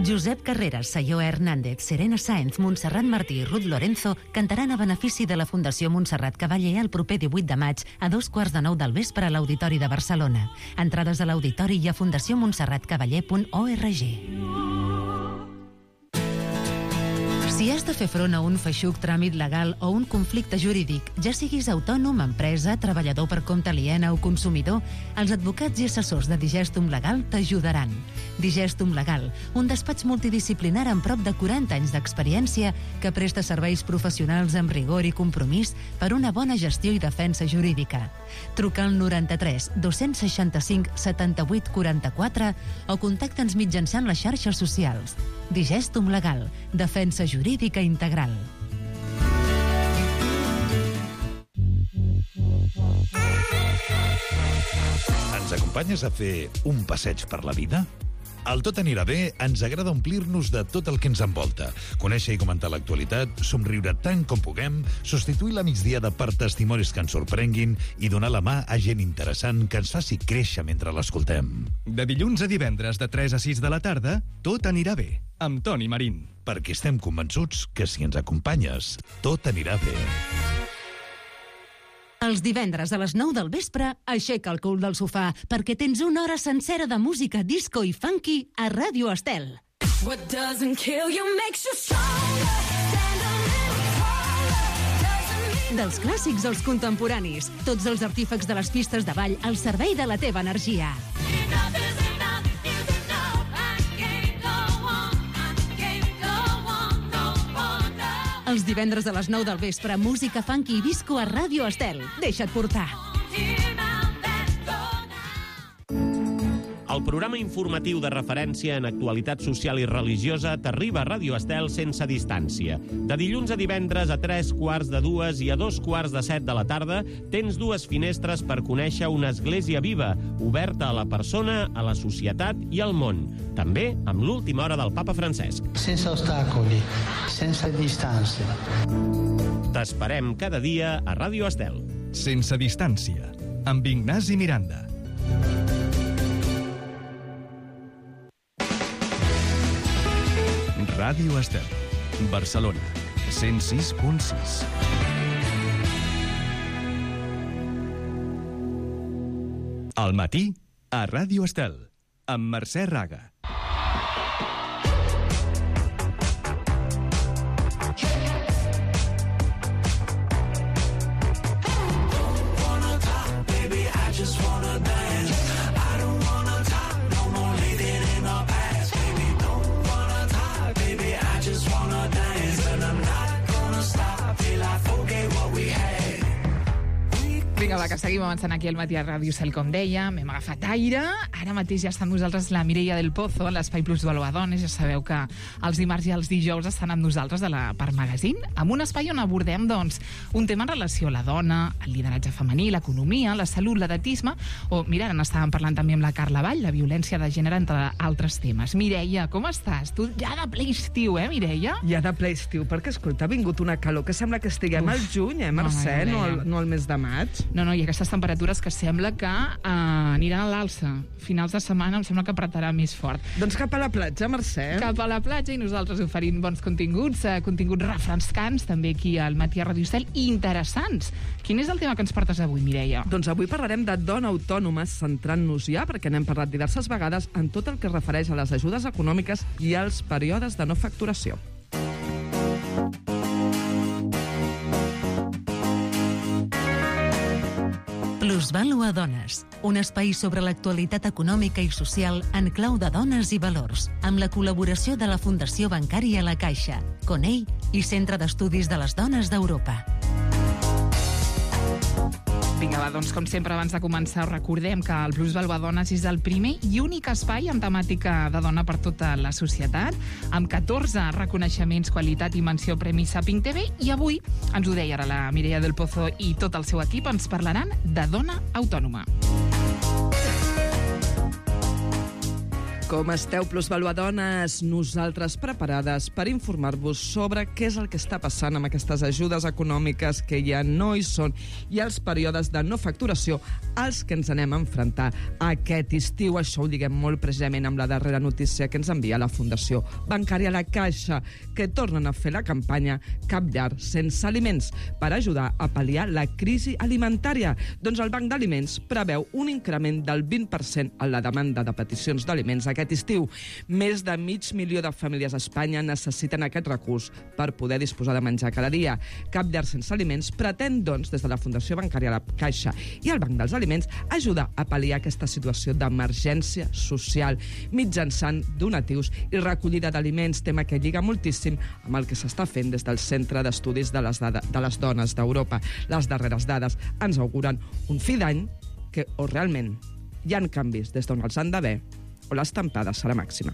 Josep Carreras, Sayó Hernández, Serena Sáenz, Montserrat Martí i Ruth Lorenzo cantaran a benefici de la Fundació Montserrat Cavaller el proper 18 de maig a 9:15 del vespre a l'Auditori de Barcelona. Entrades a l'auditori i a fundacionmontserratcavaller.org. Si has de fer front a un feixuc tràmit legal o un conflicte jurídic, ja siguis autònom, empresa, treballador per compte aliena o consumidor, els advocats i assessors de Digestum Legal t'ajudaran. Digestum Legal, un despatx multidisciplinar amb prop de 40 anys d'experiència que presta serveis professionals amb rigor i compromís per una bona gestió i defensa jurídica. Truca al 93 265 78 44 o contacta'ns mitjançant les xarxes socials. Digestum Legal, defensa jurídica integral. Ens acompanyes a fer un passeig per la vida? Al Tot anirà bé ens agrada omplir-nos de tot el que ens envolta, conèixer i comentar l'actualitat, somriure tant com puguem, substituir la migdiada per testimonis que ens sorprenguin i donar la mà a gent interessant que ens faci créixer mentre l'escoltem. De dilluns a divendres de 3 a 6 de la tarda, Tot anirà bé, amb Toni Marín. Perquè estem convençuts que si ens acompanyes, tot anirà bé. Els divendres a les 9 del vespre, aixeca el cul del sofà, perquè tens una hora sencera de música disco i funky a Ràdio Estel. What doesn't kill you makes you stronger. Dels clàssics als contemporanis, tots els artífecs de les pistes de ball al servei de la teva energia. Els divendres a les 9 del vespre, música funky i disco a Ràdio Estel. Deixa't portar. El programa informatiu de referència en actualitat social i religiosa t'arriba a Ràdio Estel sense distància. De dilluns a divendres a 3:45 i a 2:45 de la tarda tens dues finestres per conèixer una església viva, oberta a la persona, a la societat i al món. També amb l'última hora del papa Francesc. Sense ostacoli, sense distància. T'esperem cada dia a Ràdio Estel. Sense distància, amb Ignasi Miranda. Ràdio Estel, Barcelona, 106.6. Al matí, a Ràdio Estel, amb Mercè Raga. Vinga, va, que seguim avançant aquí al matí a Ràdio Estel, com deia. M'hem agafat aire. Ara mateix ja està amb nosaltres la Mireia del Pozo, a l'Espai Plus Valua-Dones. Ja sabeu que els dimarts i els dijous estan amb nosaltres a la Part Magazine, amb un espai on abordem, doncs, un tema en relació a la dona, el lideratge femení, l'economia, la salut, l'edatisme, o, mira, ara n'estàvem parlant també amb la Carla Vall, la violència de gènere, entre altres temes. Mireia, com estàs? Tu ja de ple estiu, Mireia? Ja de ple estiu, perquè, escolta, ha vingut una calor que sembla que estiguem al juny, Mercè? No al mes de maig. No, i aquestes temperatures que sembla que aniran a l'alça. Finals de setmana em sembla que apretarà més fort. Doncs cap a la platja, Mercè. Cap a la platja, i nosaltres oferint bons continguts, continguts refrescants, també aquí al matí a Ràdio Estel, i interessants. Quin és el tema que ens portes avui, Mireia? Doncs avui parlarem de dona autònoma, centrant-nos ja, perquè n'hem parlat diverses vegades, en tot el que es refereix a les ajudes econòmiques i als períodes de no facturació. Plusvàlua Dones, un espai sobre l'actualitat econòmica i social en clau de dones i valors, amb la col·laboració de la Fundació Bancària La Caixa, CONEI i Centre d'Estudis de les Dones d'Europa. Vinga, va, doncs, com sempre, abans de començar, recordem que el Plusvàlua Dones és el primer i únic espai amb temàtica de dona per tota la societat, amb 14 reconeixements, qualitat i menció Premi Saping TV, i avui, ens ho deia ara la Mireia del Pozo i tot el seu equip, ens parlaran de dona autònoma. Com esteu, Plusvàlua Dones? Nosaltres preparades per informar-vos sobre què és el que està passant amb aquestes ajudes econòmiques que ja no hi són i els períodes de no facturació als que ens anem a enfrontar aquest estiu. Això ho lliguem molt precisament amb la darrera notícia que ens envia la Fundació Bancària La Caixa, que tornen a fer la campanya Cap llar sense aliments per ajudar a pal·liar la crisi alimentària. Doncs el Banc d'Aliments preveu un increment del 20% en la demanda de peticions d'aliments aquest estiu. Més de 500.000 de famílies a Espanya necessiten aquest recurs per poder disposar de menjar cada dia. Cap llar sense aliments pretén, doncs, des de la Fundació Bancària La Caixa i el Banc dels Aliments, ajudar a pal·liar aquesta situació d'emergència social mitjançant donatius i recollida d'aliments, tema que lliga moltíssim amb el que s'està fent des del Centre d'Estudis de les Dones d'Europa. Les darreres dades ens auguren un fi d'any que o realment hi ha canvis des d'on els han d'haver o l'estampada serà màxima.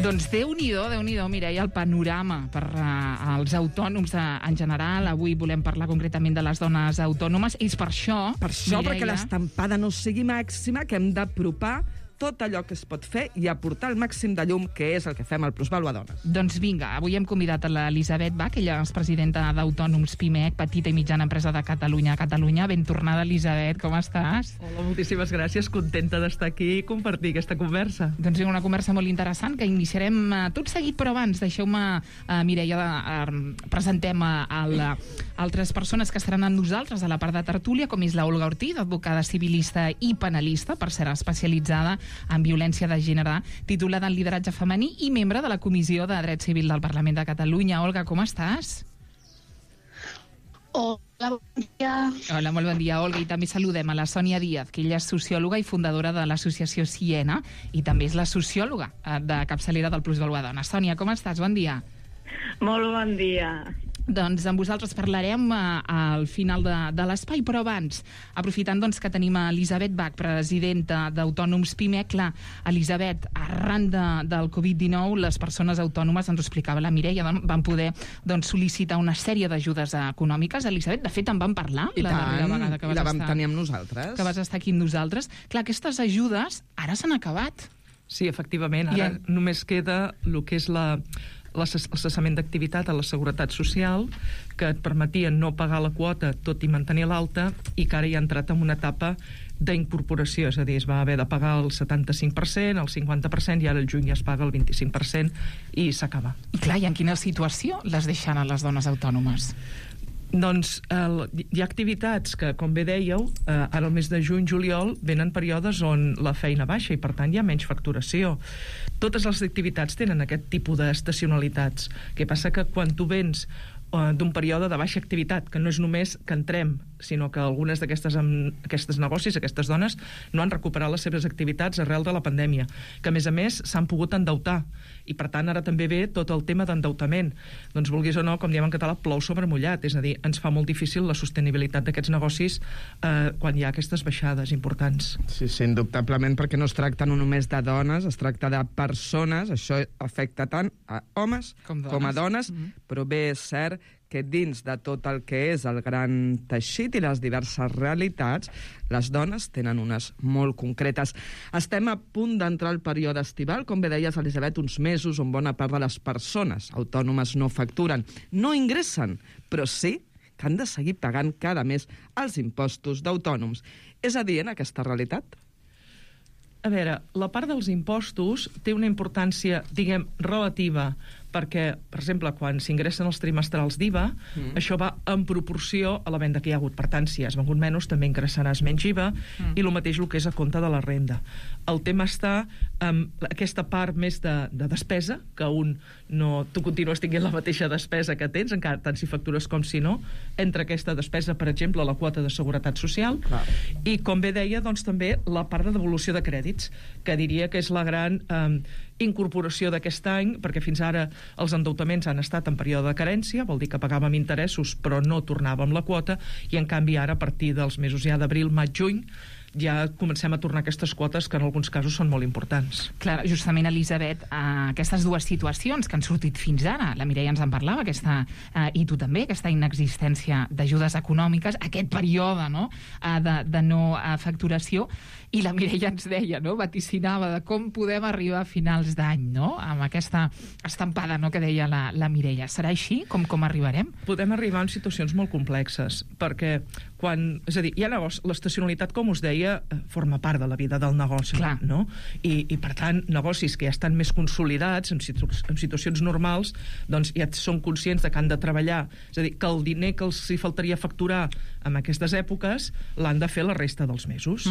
Doncs Déu-n'hi-do, Mireia, el panorama per als autònoms en general. Avui volem parlar concretament de les dones autònomes. És per això, Mireia, perquè l'estampada no sigui màxima, que hem d'apropar tot allò que es pot fer i aportar el màxim de llum, que és el que fem al Plusvàlua Dones. Doncs vinga, avui hem convidat a l'Elisabet Bach, ella és presidenta d'Autònoms PIMEC, petita i mitjana empresa de Catalunya. Ben tornada, Elisabet, com estàs? Hola, moltíssimes gràcies, contenta d'estar aquí i compartir aquesta conversa. Doncs una conversa molt interessant que iniciarem tot seguit, però abans deixeu-me, Mireia, presentem altres persones que estaran amb nosaltres a la part de tertúlia, com és la Olga Ortiz, advocada civilista i penalista, per ser especialitzada en violència de gènere, titulada en lideratge femení i membre de la Comissió de Dret Civil del Parlament de Catalunya. Olga, com estàs? Hola, bon dia. Hola, molt bon dia, Olga. I també saludem a la Sònia Díaz, que ella és sociòloga i fundadora de l'associació Siena i també és la sociòloga de capçalera del Plusvàlua Dones. Sònia, com estàs? Bon dia. Molt bon dia. Doncs amb vosaltres parlarem al final de l'espai, però abans, aprofitant doncs, que tenim a Elisabet Bach, presidenta d'Autònoms PIMEC. Clar, Elisabet, arran del Covid-19, les persones autònomes, ens ho explicava la Mireia, van poder sol·licitar una sèrie d'ajudes econòmiques. Elisabet, de fet, en vam parlar la darrera vegada que vam tenir amb nosaltres. Que vas estar aquí amb nosaltres. Clar, aquestes ajudes ara s'han acabat. Sí, efectivament. Ara només queda el que és el cessament d'activitat a la Seguretat Social, que et permetia no pagar la quota tot i mantenir l'alta, i que ara ja ha entrat en una etapa d'incorporació, és a dir, es va haver de pagar el 75%, el 50%, i ara el juny ja es paga el 25% i s'acaba. I clar, i en quina situació les deixen a les dones autònomes? Doncs hi ha activitats que, com bé dèieu, ara el mes de juny-juliol venen períodes on la feina baixa i per tant hi ha menys facturació. Totes les activitats tenen aquest tipus d'estacionalitats. El que passa que quan tu vens d'un període de baixa activitat, que no és només que entrem, sinó que algunes d'aquestes negocis, aquestes dones, no han recuperat les seves activitats arrel de la pandèmia, que a més s'han pogut endeutar, i per tant ara també ve tot el tema d'endeutament. Doncs vulguis o no, com diem en català, plou sobre mullat, és a dir, ens fa molt difícil la sostenibilitat d'aquests negocis quan hi ha aquestes baixades importants. Sí, indubtablement, perquè no es tracta no només de dones, es tracta de persones, això afecta tant a homes com a dones, però bé és cert que dins de tot el que és el gran teixit i les diverses realitats, les dones tenen unes molt concretes. Estem a punt d'entrar al període estival, com bé deies, Elisabet, uns mesos on bona part de les persones autònomes no facturen, no ingressen, però sí que han de seguir pagant cada mes els impostos d'autònoms. És a dir, en aquesta realitat? A veure, la part dels impostos té una importància, diguem, relativa perquè, per exemple, quan s'ingressen els trimestrals d'IVA, això va en proporció a la venda que hi ha hagut. Per tant, si has vengut menys, també ingressaràs menys IVA, i el mateix el que és a compte de la renda. El tema està amb aquesta part més de despesa, que tu continues tinguent la mateixa despesa que tens, encara tant si factures com si no, entre aquesta despesa, per exemple, la quota de seguretat social, i, com bé deia, doncs també la part de devolució de crèdits, que diria que és la gran incorporació d'aquest any, perquè fins ara els endeutaments han estat en període de carència, vol dir que pagàvem interessos però no tornàvem la quota, i en canvi ara, a partir dels mesos ja d'abril, maig, juny, ja comencem a tornar aquestes quotes que en alguns casos són molt importants. Clar, justament, Elisabet, aquestes dues situacions que han sortit fins ara, la Mireia ens en parlava, i tu també, aquesta inexistència d'ajudes econòmiques, aquest període de no facturació, i la Mireia ens deia, vaticinava de com podem arribar a finals d'any, amb aquesta estampada que deia la Mireia. Serà així? Com arribarem? Podem arribar en situacions molt complexes, perquè és a dir, hi ha negoci, l'estacionalitat, com us deia, forma part de la vida del negoci, no? I per tant, negocis que ja estan més consolidats, en situacions normals, doncs ja són conscients de que han de treballar, és a dir, que el diner que els hi faltaria facturar en aquestes èpoques l'han de fer la resta dels mesos.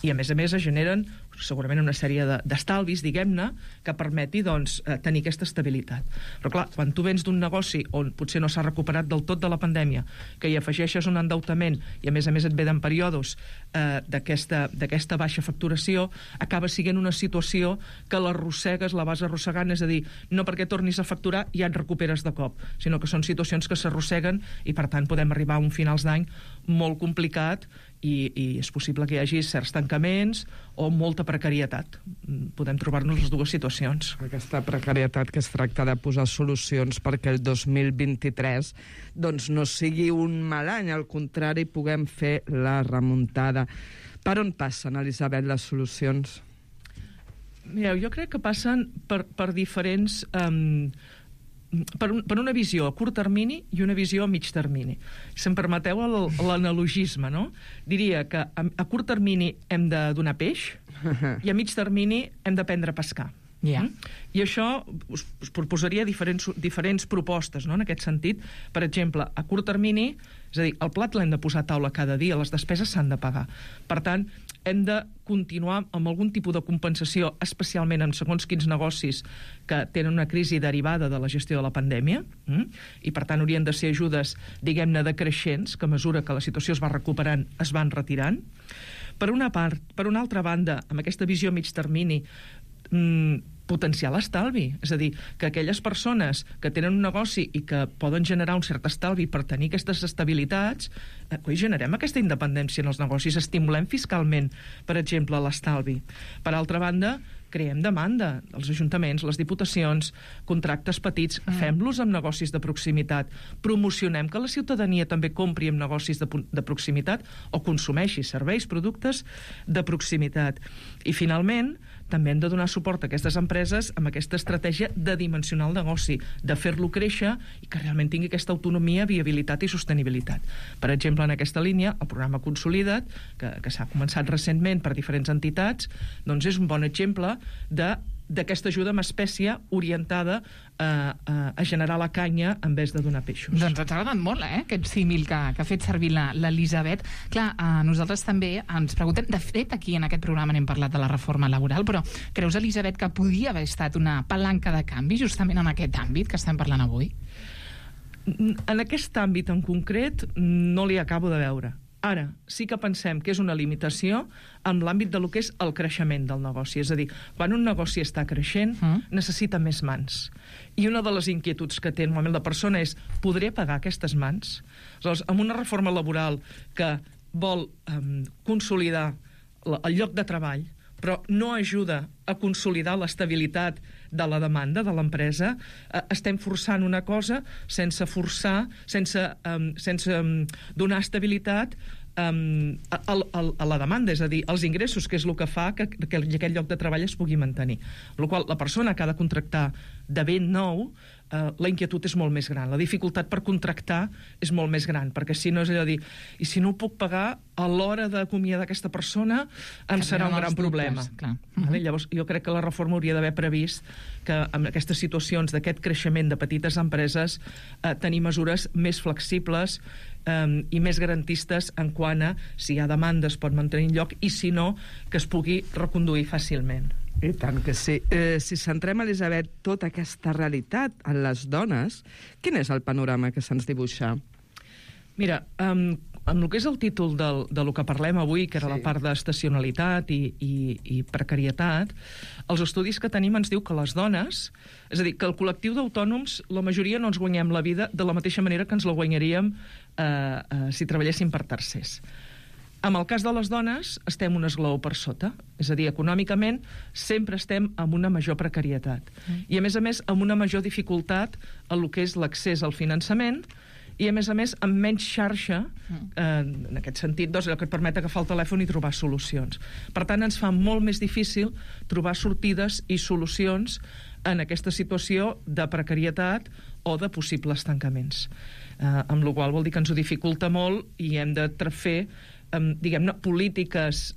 I a més es generen segurament una sèrie d'estalvis, diguem-ne, que permeti tenir aquesta estabilitat. Però clar, quan tu vens d'un negoci on potser no s'ha recuperat del tot de la pandèmia, que hi afegeixes un endeutament i a més et ve en períodes d'aquesta baixa facturació, acaba sent una situació que l'arrossegues, la vas arrossegant, és a dir, no perquè tornis a facturar ja et recuperes de cop, sinó que són situacions que s'arrosseguen i per tant podem arribar a un finals d'any molt complicat i és possible que hi hagi certs tancaments o molta precarietat. Podem trobar-nos les dues situacions. Aquesta precarietat que es tracta de posar solucions perquè el 2023 doncs no sigui un mal any, al contrari, puguem fer la remuntada. Per on passen, Elisabet, les solucions? Mireu, jo crec que passen per diferents... per una visió a curt termini i una visió a mig termini. Si em permeteu l'analogisme, no? Diria que a curt termini hem de donar peix i a mig termini hem d'aprendre a pescar. I això us proposaria diferents propostes, no? En aquest sentit. Per exemple, a curt termini, és a dir, el plat l'hem de posar a taula cada dia, les despeses s'han de pagar. Per tant, hem de continuar amb algun tipus de compensació, especialment en segons quins negocis que tenen una crisi derivada de la gestió de la pandèmia, i per tant haurien de ser ajudes, diguem-ne, decreixents, que a mesura que la situació es va recuperant es van retirant. Per una altra banda, amb aquesta visió a mig termini, potenciar l'estalvi, és a dir, que aquelles persones que tenen un negoci i que poden generar un cert estalvi per tenir aquestes estabilitats, generem aquesta independència en els negocis, estimulem fiscalment, per exemple, l'estalvi. Per altra banda, creem demanda dels ajuntaments, les diputacions, contractes petits, fem-los amb negocis de proximitat, promocionem que la ciutadania també compri amb negocis de proximitat o consumeixi serveis, productes de proximitat. I finalment, també hem de donar suport a aquestes empreses amb aquesta estratègia de dimensionar el negoci, de fer-lo créixer i que realment tingui aquesta autonomia, viabilitat i sostenibilitat. Per exemple, en aquesta línia, el programa Consolida't, que s'ha començat recentment per diferents entitats, doncs és un bon exemple d'aquesta ajuda en espècie orientada a generar la canya en vez de donar peixos. Doncs ens ha agradat molt, aquest símil que ha fet servir l'Elisabet. Clar, nosaltres també ens preguntem, de fet, aquí en aquest programa n'hem parlat de la reforma laboral, però creus, Elisabet, que podia haver estat una palanca de canvi justament en aquest àmbit que estem parlant avui? En aquest àmbit en concret no li acabo de veure. Ara, sí que pensem que és una limitació en l'àmbit de lo que és el creixement del negoci. És a dir, quan un negoci està creixent, necessita més mans. I una de les inquietuds que té normalment la persona és: podré pagar aquestes mans? Aleshores, amb una reforma laboral que vol consolidar el lloc de treball, però no ajuda a consolidar l'estabilitat de la demanda de l'empresa, estem forçant una cosa sense forçar, sense donar estabilitat a la demanda, és a dir, als ingressos, que és el que fa que aquest lloc de treball es pugui mantenir. Amb la qual cosa, la persona que ha de contractar de ben nou la inquietud és molt més gran, la dificultat per contractar és molt més gran, perquè si no és allò de dir, i si no ho puc pagar, a l'hora d'acomiadar aquesta persona em serà un gran problema. Vale? Llavors, jo crec que la reforma hauria d'haver previst que en aquestes situacions d'aquest creixement de petites empreses tenir mesures més flexibles i més garantistes en quant a si hi ha demanda es pot mantenir en lloc i si no, que es pugui reconduir fàcilment. I tant que sí. Si centrem, Elisabet, tota aquesta realitat en les dones, quin és el panorama que se'ns dibuixa? Mira, amb el que és el títol de lo que parlem avui, que era la part d'estacionalitat i precarietat, els estudis que tenim ens diu que les dones, és a dir, que el col·lectiu d'autònoms, la majoria no ens guanyem la vida de la mateixa manera que ens la guanyaríem si treballéssim per tercers. En el cas de les dones, estem un esglaó per sota. És a dir, econòmicament sempre estem amb una major precarietat. I, a més, amb una major dificultat en el que és l'accés al finançament i, a més, amb menys xarxa, en aquest sentit, doncs, allò que et permet agafar el telèfon i trobar solucions. Per tant, ens fa molt més difícil trobar sortides i solucions en aquesta situació de precarietat o de possibles tancaments. Amb la qual vol dir que ens ho dificulta molt i hem de fer diguem-ne, polítiques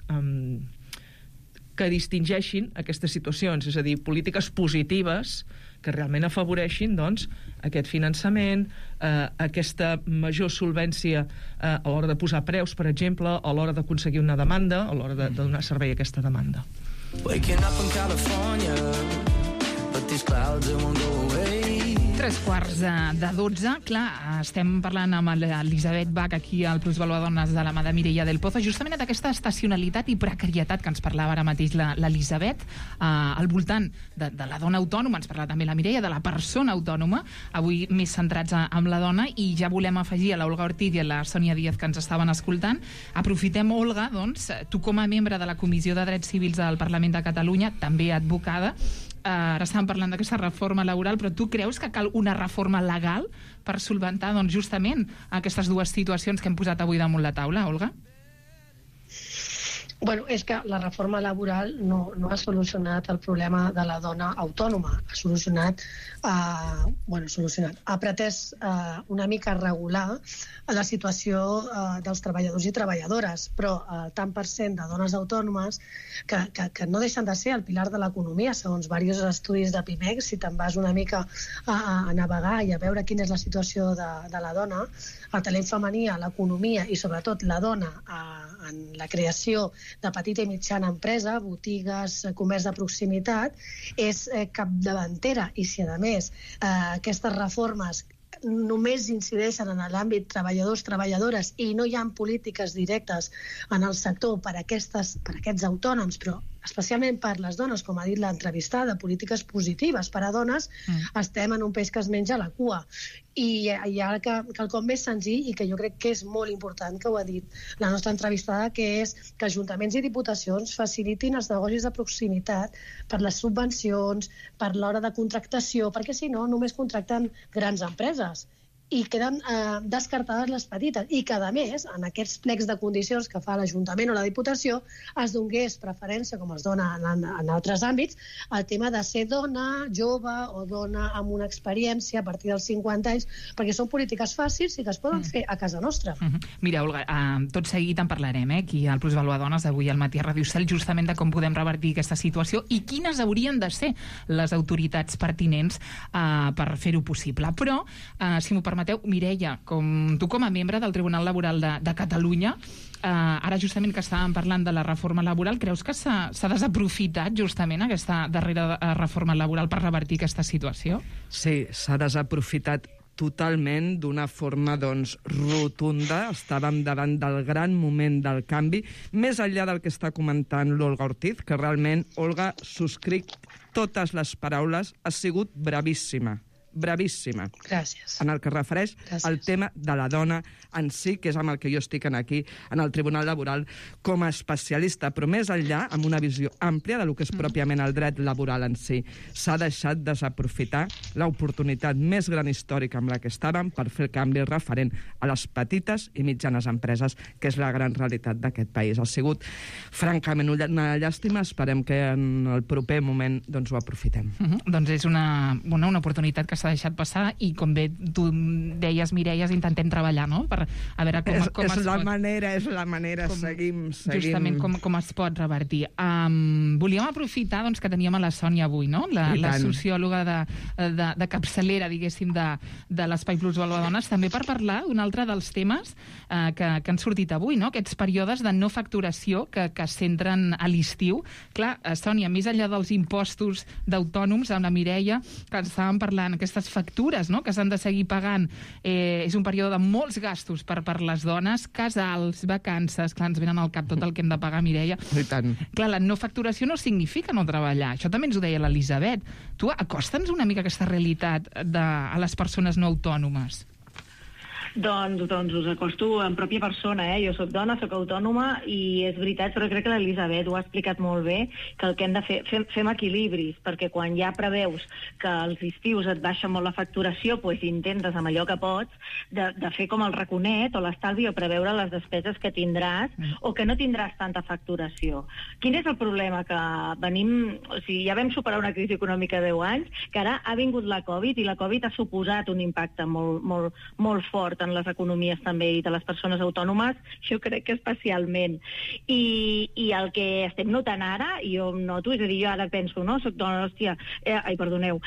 que distingeixin aquestes situacions, és a dir, polítiques positives que realment afavoreixin, doncs, aquest finançament, aquesta major solvència a l'hora de posar preus, per exemple, a l'hora d'aconseguir una demanda, a l'hora de donar servei a aquesta demanda. Waking up in California, but these clouds won't go away. 11:45. Clar, estem parlant amb l'Elisabet Bach aquí al Plusvalor Dones de la mà de Mireia del Pozo, justament d'aquesta estacionalitat i precarietat que ens parlava ara mateix l'Elisabet, al voltant de la dona autònoma. Ens parla també la Mireia de la persona autònoma, avui més centrats en la dona, i ja volem afegir a l'Olga Ortiz i a la Sònia Díaz que ens estaven escoltant. Aprofitem, Olga, doncs, tu com a membre de la Comissió de Drets Civils del Parlament de Catalunya, també advocada, ara estàvem parlant d'aquesta reforma laboral, però tu creus que cal una reforma legal per solventar, doncs, justament aquestes dues situacions que hem posat avui damunt la taula, Olga? Bueno, és que la reforma laboral no ha solucionat el problema de la dona autònoma. Ha pretès una mica regular la situació dels treballadors i treballadores, però el tant per cent de dones autònomes que no deixen de ser el pilar de l'economia, segons diversos estudis de PIMEC, si te'n vas una mica a navegar i a veure quina és la situació de la dona, el talent femení a l'economia i sobretot la dona en la creació de petita i mitjana empresa, botigues, comerç de proximitat, és capdavantera. I si, a més, aquestes reformes només incideixen en l'àmbit treballadors-treballadores i no hi ha polítiques directes en el sector per a aquests autònoms, però especialment per les dones, com ha dit l'entrevistada, polítiques positives per a dones, estem en un peix que es menja la cua. I hi ha quelcom més senzill i que jo crec que és molt important, que ho ha dit la nostra entrevistada, que és que ajuntaments i diputacions facilitin els negocis de proximitat per les subvencions, per l'hora de contractació, perquè si no només contracten grans empreses i queden descartades les petites, i que, a més, en aquests plecs de condicions que fa l'Ajuntament o la Diputació, es donés preferència, com es dona en altres àmbits, al tema de ser dona, jove o dona amb una experiència a partir dels 50 anys, perquè són polítiques fàcils i que es poden fer a casa nostra. Mira, Olga, tot seguit en parlarem, aquí al Plusvalor Dones, avui al matí a Ràdio Estel, justament de com podem revertir aquesta situació i quines haurien de ser les autoritats pertinents per fer-ho possible. Però, si m'ho permeteu, Mireia, tu com a membre del Tribunal Laboral de Catalunya, ara justament que estàvem parlant de la reforma laboral, creus que s'ha desaprofitat justament aquesta darrera reforma laboral per revertir aquesta situació? Sí, s'ha desaprofitat totalment, d'una forma rotunda. Estàvem davant del gran moment del canvi, més enllà del que està comentant l'Olga Ortiz, que realment, Olga, subscric totes les paraules, ha sigut bravíssima. Gràcies. En el que es refereix al tema de la dona en si, que és amb el que jo estic aquí en el Tribunal Laboral com a especialista, però més enllà, amb una visió àmplia del que és pròpiament el dret laboral en si. S'ha deixat desaprofitar l'oportunitat més gran històrica amb la que estàvem per fer el canvi referent a les petites i mitjanes empreses, que és la gran realitat d'aquest país. Ha sigut, francament, una llàstima. Esperem que en el proper moment ho aprofitem. Doncs és una oportunitat que s'ha deixat passar i, com bé tu deies, Mireia, intentem treballar, no?, per a veure com es pot... És la manera, seguim. Justament com es pot revertir. Volíem aprofitar doncs, que teníem a la Sònia avui, no?, la sociòloga de capçalera, diguéssim, de l'Espai Plus Valor Dones, també per parlar d'un altre dels temes que han sortit avui, no?, aquests períodes de no facturació que es centren a l'estiu. Clar, Sònia, més enllà dels impostos d'autònoms, amb la Mireia, que estàvem parlant, aquestes factures, no?, que s'han de seguir pagant, és un període de molts gastos per les dones, casals, vacances, clar, ens venen al cap tot el que hem de pagar, Mireia. I tant. Clar, la no facturació no significa no treballar. Això també ens ho deia l'Elisabet. Tu, acosta'ns una mica aquesta realitat a les persones no autònomes. Doncs us acosto en pròpia persona, Jo soc dona, soc autònoma i és veritat, però crec que l'Elisabet ho ha explicat molt bé, que el que hem de fer, fem equilibris, perquè quan ja preveus que als estius et baixa molt la facturació, doncs intentes amb allò que pots de fer com el raconet o l'estalvi o preveure les despeses que tindràs o que no tindràs tanta facturació. Quin és el problema? Que venim... O sigui, ja vam superar una crisi econòmica de 10 anys, que ara ha vingut la Covid i la Covid ha suposat un impacte molt fort en les economies també i de les persones autònomes, jo crec que especialment. I el que estem notant ara, i jo noto, és a dir, jo ara penso, no, soc dona, hòstia, perdoneu,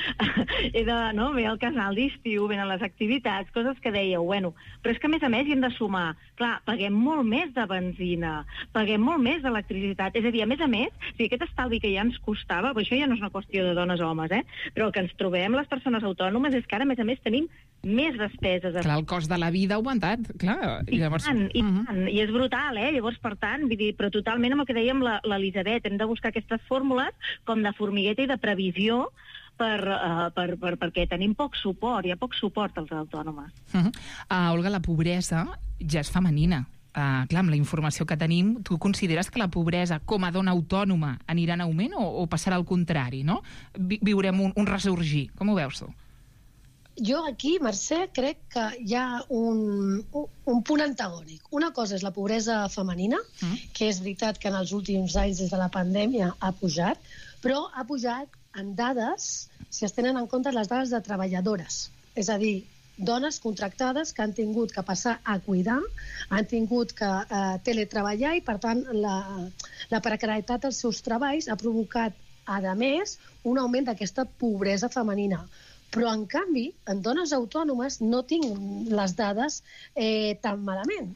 he de, no, ve el casal d'estiu, venen les activitats, coses que dèieu, bueno, però és que a més hi hem de sumar, clar, paguem molt més de benzina, paguem molt més d'electricitat, és a dir, a més, si aquest estalvi que ja ens costava, però això ja no és una qüestió de dones o homes, però el que ens trobem les persones autònomes és que ara, a més, tenim més despeses. Clar, el cost de la vida ha augmentat, clar. I tant, i és brutal, Llavors, per tant, però totalment amb el que dèiem l'Elisabet, hem de buscar aquestes fórmules com de formigueta i de previsió perquè tenim poc suport, hi ha poc suport als autònomes. Olga, la pobresa ja és femenina. Clar, amb la informació que tenim, tu consideres que la pobresa com a dona autònoma anirà en augment o passarà al contrari, no? Viurem un ressorgir. Com ho veus tu? Jo aquí, Mercè, crec que hi ha un punt antagònic. Una cosa és la pobresa femenina, que és veritat que en els últims anys, des de la pandèmia, ha pujat, però ha pujat en dades, si es tenen en compte les dades de treballadores. És a dir, dones contractades que han tingut que passar a cuidar, han tingut que teletreballar i, per tant, la precarietat dels seus treballs ha provocat, a més, un augment d'aquesta pobresa femenina. Però, en canvi, en dones autònomes no tinc les dades tan malament.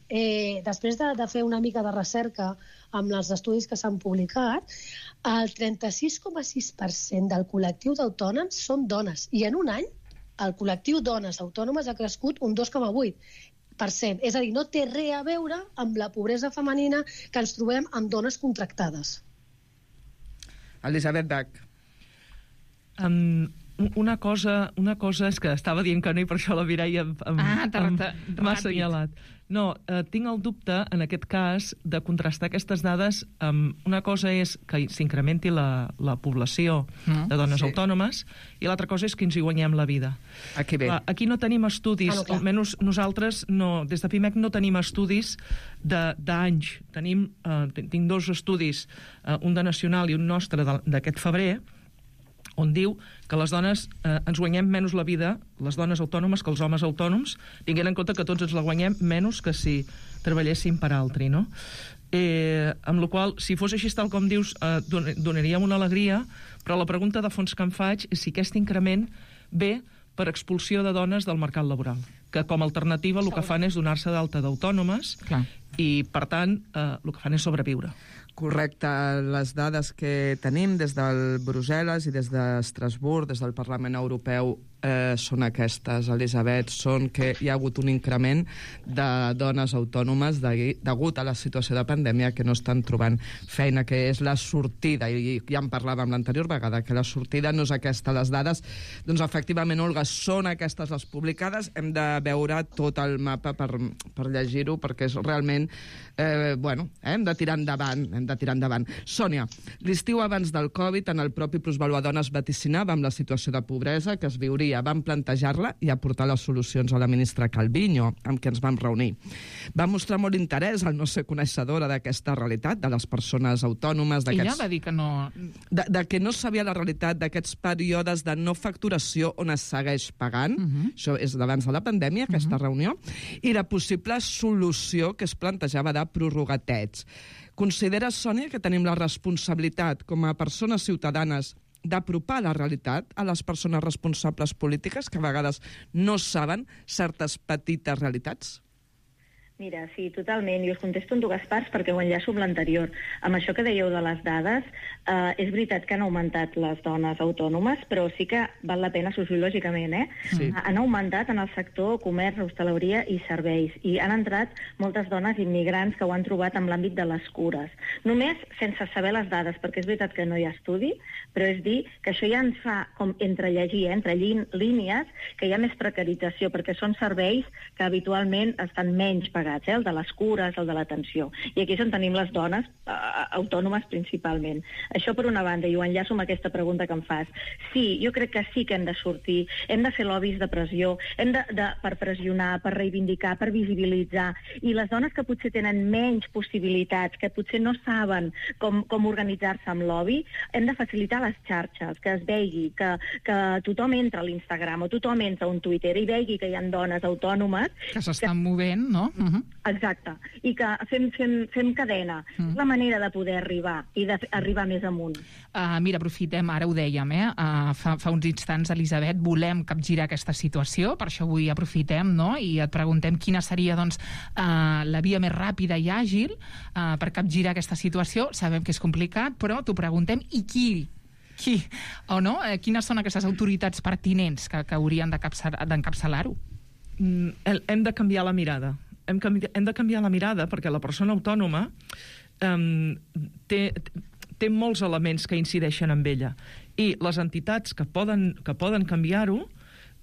Després de fer una mica de recerca amb els estudis que s'han publicat, el 36,6% del col·lectiu d'autònoms són dones. I en un any, el col·lectiu dones autònomes ha crescut un 2,8%. És a dir, no té res a veure amb la pobresa femenina que ens trobem amb dones contractades. Elisabet Bach. Una cosa és que estava dient que no i per això la Mireia m'ha assenyalat. No, tinc el dubte, en aquest cas, de contrastar aquestes dades amb... Una cosa és que s'incrementi la població de dones autònomes i l'altra cosa és que ens hi guanyem la vida. Aquí no tenim estudis, almenys nosaltres, des de PIMEC no tenim estudis d'anys. Tinc dos estudis, un de Nacional i un nostre d'aquest febrer, on diu que les dones ens guanyem menys la vida, les dones autònomes, que els homes autònoms, tinguent en compte que tots ens la guanyem menys que si treballéssim per altri, no? Amb la qual cosa, si fos així tal com dius, donaríem una alegria, però la pregunta de fons que em faig és si aquest increment ve per expulsió de dones del mercat laboral, que com a alternativa el que fan és donar-se d'alta d'autònomes i, per tant, el que fan és sobreviure. Correcte. Les dades que tenim des del Brussel·les i des d'Estrasburg, des del Parlament Europeu, són aquestes, Elisabet, són que hi ha hagut un increment de dones autònomes degut a la situació de pandèmia que no estan trobant feina, que és la sortida, i ja en parlàvem l'anterior vegada, que la sortida no és aquesta. Les dades, doncs efectivament, Olga, són aquestes les publicades. Hem de veure tot el mapa per llegir-ho, perquè és realment realment hem de tirar endavant. Sònia, l'estiu abans del Covid, en el propi Plusvalua Dones vaticinava amb la situació de pobresa que es viuria. Vam plantejar-la i aportar les solucions a la ministra Calviño, amb qui ens vam reunir. Va mostrar molt interès al no ser coneixedora d'aquesta realitat, de les persones autònomes... Ella va dir que no... De que no sabia la realitat d'aquests períodes de no facturació on es segueix pagant. Això és d'abans de la pandèmia, aquesta reunió. I la possible solució que es plantejava de prorrogatets. Considera, Sònia, que tenim la responsabilitat com a persones ciutadanes d'apropar la realitat a les persones responsables polítiques que a vegades no saben certes petites realitats? Mira, sí, totalment. I us contesto en dues parts perquè ho enllaço amb l'anterior. Amb això que dèieu de les dades, és veritat que han augmentat les dones autònomes, però sí que val la pena sociològicament, Sí. Han augmentat en el sector comerç, hostaleria i serveis. I han entrat moltes dones immigrants que ho han trobat en l'àmbit de les cures. Només sense saber les dades, perquè és veritat que no hi ha estudi, però és dir que això ja ens fa com entrellegir, entre línies, que hi ha més precarització, perquè són serveis que habitualment estan menys pagats, el de les cures, el de l'atenció. I aquí és on tenim les dones autònomes principalment. Això per una banda, i ho enllaço amb aquesta pregunta que em fas. Sí, jo crec que sí que hem de sortir, hem de fer lobbies de pressió, per pressionar, per reivindicar, per visibilitzar. I les dones que potser tenen menys possibilitats, que potser no saben com organitzar-se amb lobby, hem de facilitar les xarxes, que es vegi, que tothom entra a l'Instagram o tothom entra a un Twitter i vegi que hi ha dones autònomes que s'estan movent, no? Exacte. I que fem cadena. És la manera de poder arribar i d'arribar més amunt. Mira, aprofitem, ara ho dèiem, fa uns instants, Elisabet, volem capgirar aquesta situació, per això avui aprofitem, no?, i et preguntem quina seria, doncs, la via més ràpida i àgil per capgirar aquesta situació. Sabem que és complicat, però t'ho preguntem, i qui o no? Quines són aquestes autoritats pertinents que haurien d'encapçalar-ho? Hem de canviar la mirada. Hem de canviar la mirada perquè la persona autònoma té molts elements que incideixen en ella. I les entitats que poden canviar-ho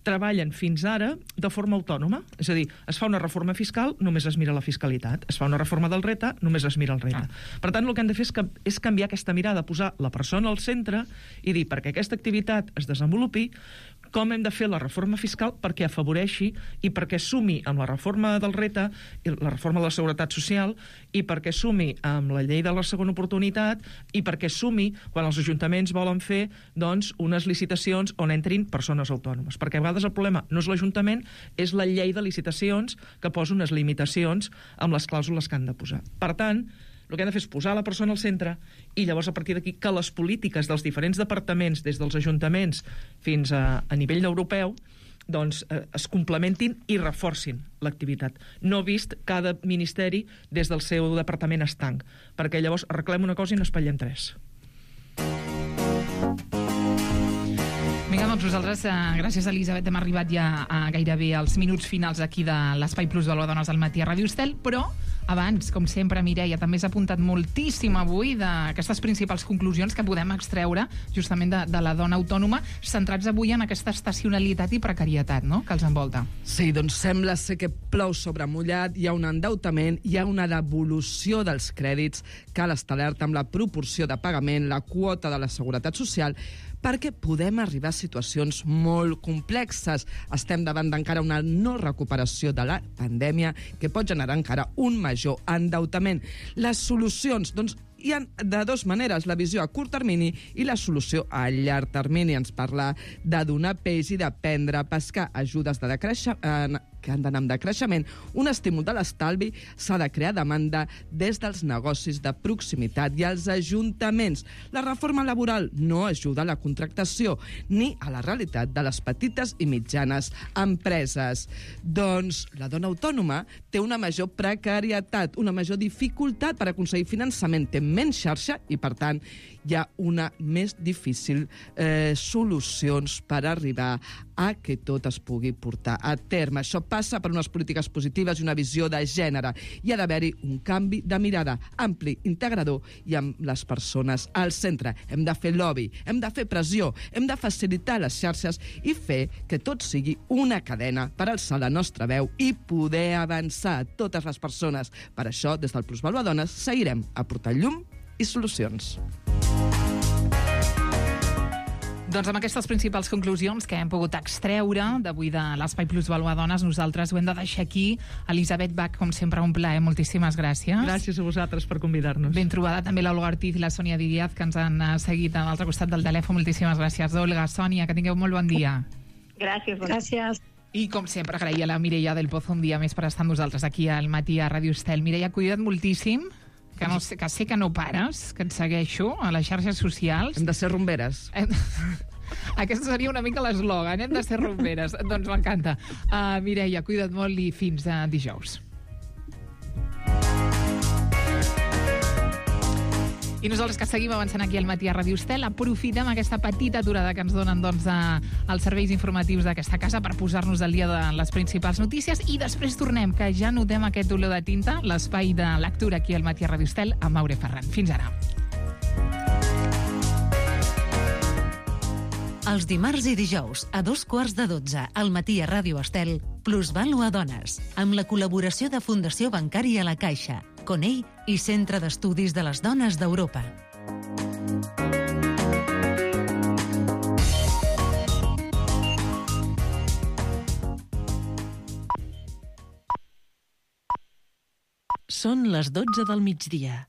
treballen fins ara de forma autònoma. És a dir, es fa una reforma fiscal, només es mira la fiscalitat. Es fa una reforma del RETA, només es mira el RETA. Per tant, el que hem de fer és canviar aquesta mirada, posar la persona al centre i dir, perquè aquesta activitat es desenvolupi, com hem de fer la reforma fiscal perquè afavoreixi i perquè sumi amb la reforma del RETA, la reforma de la Seguretat Social, i perquè sumi amb la llei de la segona oportunitat, i perquè sumi quan els ajuntaments volen fer, doncs, unes licitacions on entrin persones autònomes. Perquè a vegades el problema no és l'Ajuntament, és la llei de licitacions que posa unes limitacions amb les clàusules que han de posar. Per tant, el que hem de fer és posar la persona al centre i llavors a partir d'aquí que les polítiques dels diferents departaments, des dels ajuntaments fins a nivell europeu, doncs es complementin i reforcin l'activitat. No vist cada ministeri des del seu departament estanc, perquè llavors arreglem una cosa i n'espatllem tres. Vinga, doncs nosaltres, gràcies a Elisabet, hem arribat ja a gairebé als minuts finals aquí de l'Espai Plusvalua Dones al matí a Ràdio Estel, però abans, com sempre, Mireia, també has apuntat moltíssim avui d'aquestes principals conclusions que podem extreure justament de la dona autònoma, centrats avui en aquesta estacionalitat i precarietat, no?, que els envolta. Sí, doncs sembla ser que plou sobre mullat, hi ha un endeutament, hi ha una devolució dels crèdits, cal estar alerta amb la proporció de pagament, la quota de la Seguretat Social, perquè podem arribar a situacions molt complexes. Estem davant d'encara una no recuperació de la pandèmia que pot generar encara un major endeutament. Les solucions, doncs, hi ha de dues maneres, la visió a curt termini i la solució a llarg termini. Ens parla de donar peix i d'aprendre a pescar, ajudes de que han d'anar amb decreixement, un estímul de l'estalvi, s'ha de crear demanda des dels negocis de proximitat i els ajuntaments. La reforma laboral no ajuda a la contractació ni a la realitat de les petites i mitjanes empreses. Doncs la dona autònoma té una major precarietat, una major dificultat per aconseguir finançament, té menys xarxa i, per tant, hi ha una més difícil solucions per arribar a que tot es pugui portar a terme. Això passa per unes polítiques positives i una visió de gènere. Hi ha d'haver-hi un canvi de mirada ampli, integrador i amb les persones al centre. Hem de fer lobby, hem de fer pressió, hem de facilitar les xarxes i fer que tot sigui una cadena per alçar la nostra veu i poder avançar a totes les persones. Per això, des del Plusvalua Dones, seguirem aportant llum i solucions. Doncs amb aquestes principals conclusions que hem pogut extreure d'avui de l'Espai Plusvalua Dones, nosaltres ho hem de deixar aquí. Elisabet Bach, com sempre, un plaer. Moltíssimes gràcies. Gràcies a vosaltres per convidar-nos. Ben trobada també l'Olga Ortiz i la Sònia Díaz, que ens han seguit a l'altre costat del telèfon. Moltíssimes gràcies, Olga, Sònia, que tingueu molt bon dia. Gràcies. Gràcies. I, com sempre, agrair a la Mireia del Pozo un dia més per estar amb nosaltres aquí al matí a Ràdio Estel. Mireia, cuida't moltíssim, que sé que no pares, que et segueixo a les xarxes socials. Hem de ser rumberes. Aquest seria una mica l'eslògan, hem de ser rumberes. Doncs m'encanta. Mireia, cuida't molt i fins dijous. I nosaltres que seguim avançant aquí al matí a Ràdio Estel, aprofitem aquesta petita aturada que ens donen els serveis informatius d'aquesta casa per posar-nos al dia de les principals notícies i després tornem, que ja notem aquest olor de tinta, l'espai de lectura aquí al matí a Ràdio Estel amb Maure Ferran. Fins ara. Els dimarts i dijous, a 12:15 al matí a Ràdio Estel, Plusvalua Dones, amb la col·laboració de Fundació Bancària La Caixa, Conell i Centre d'Estudis de les Dones d'Europa. Són les 12 del migdia.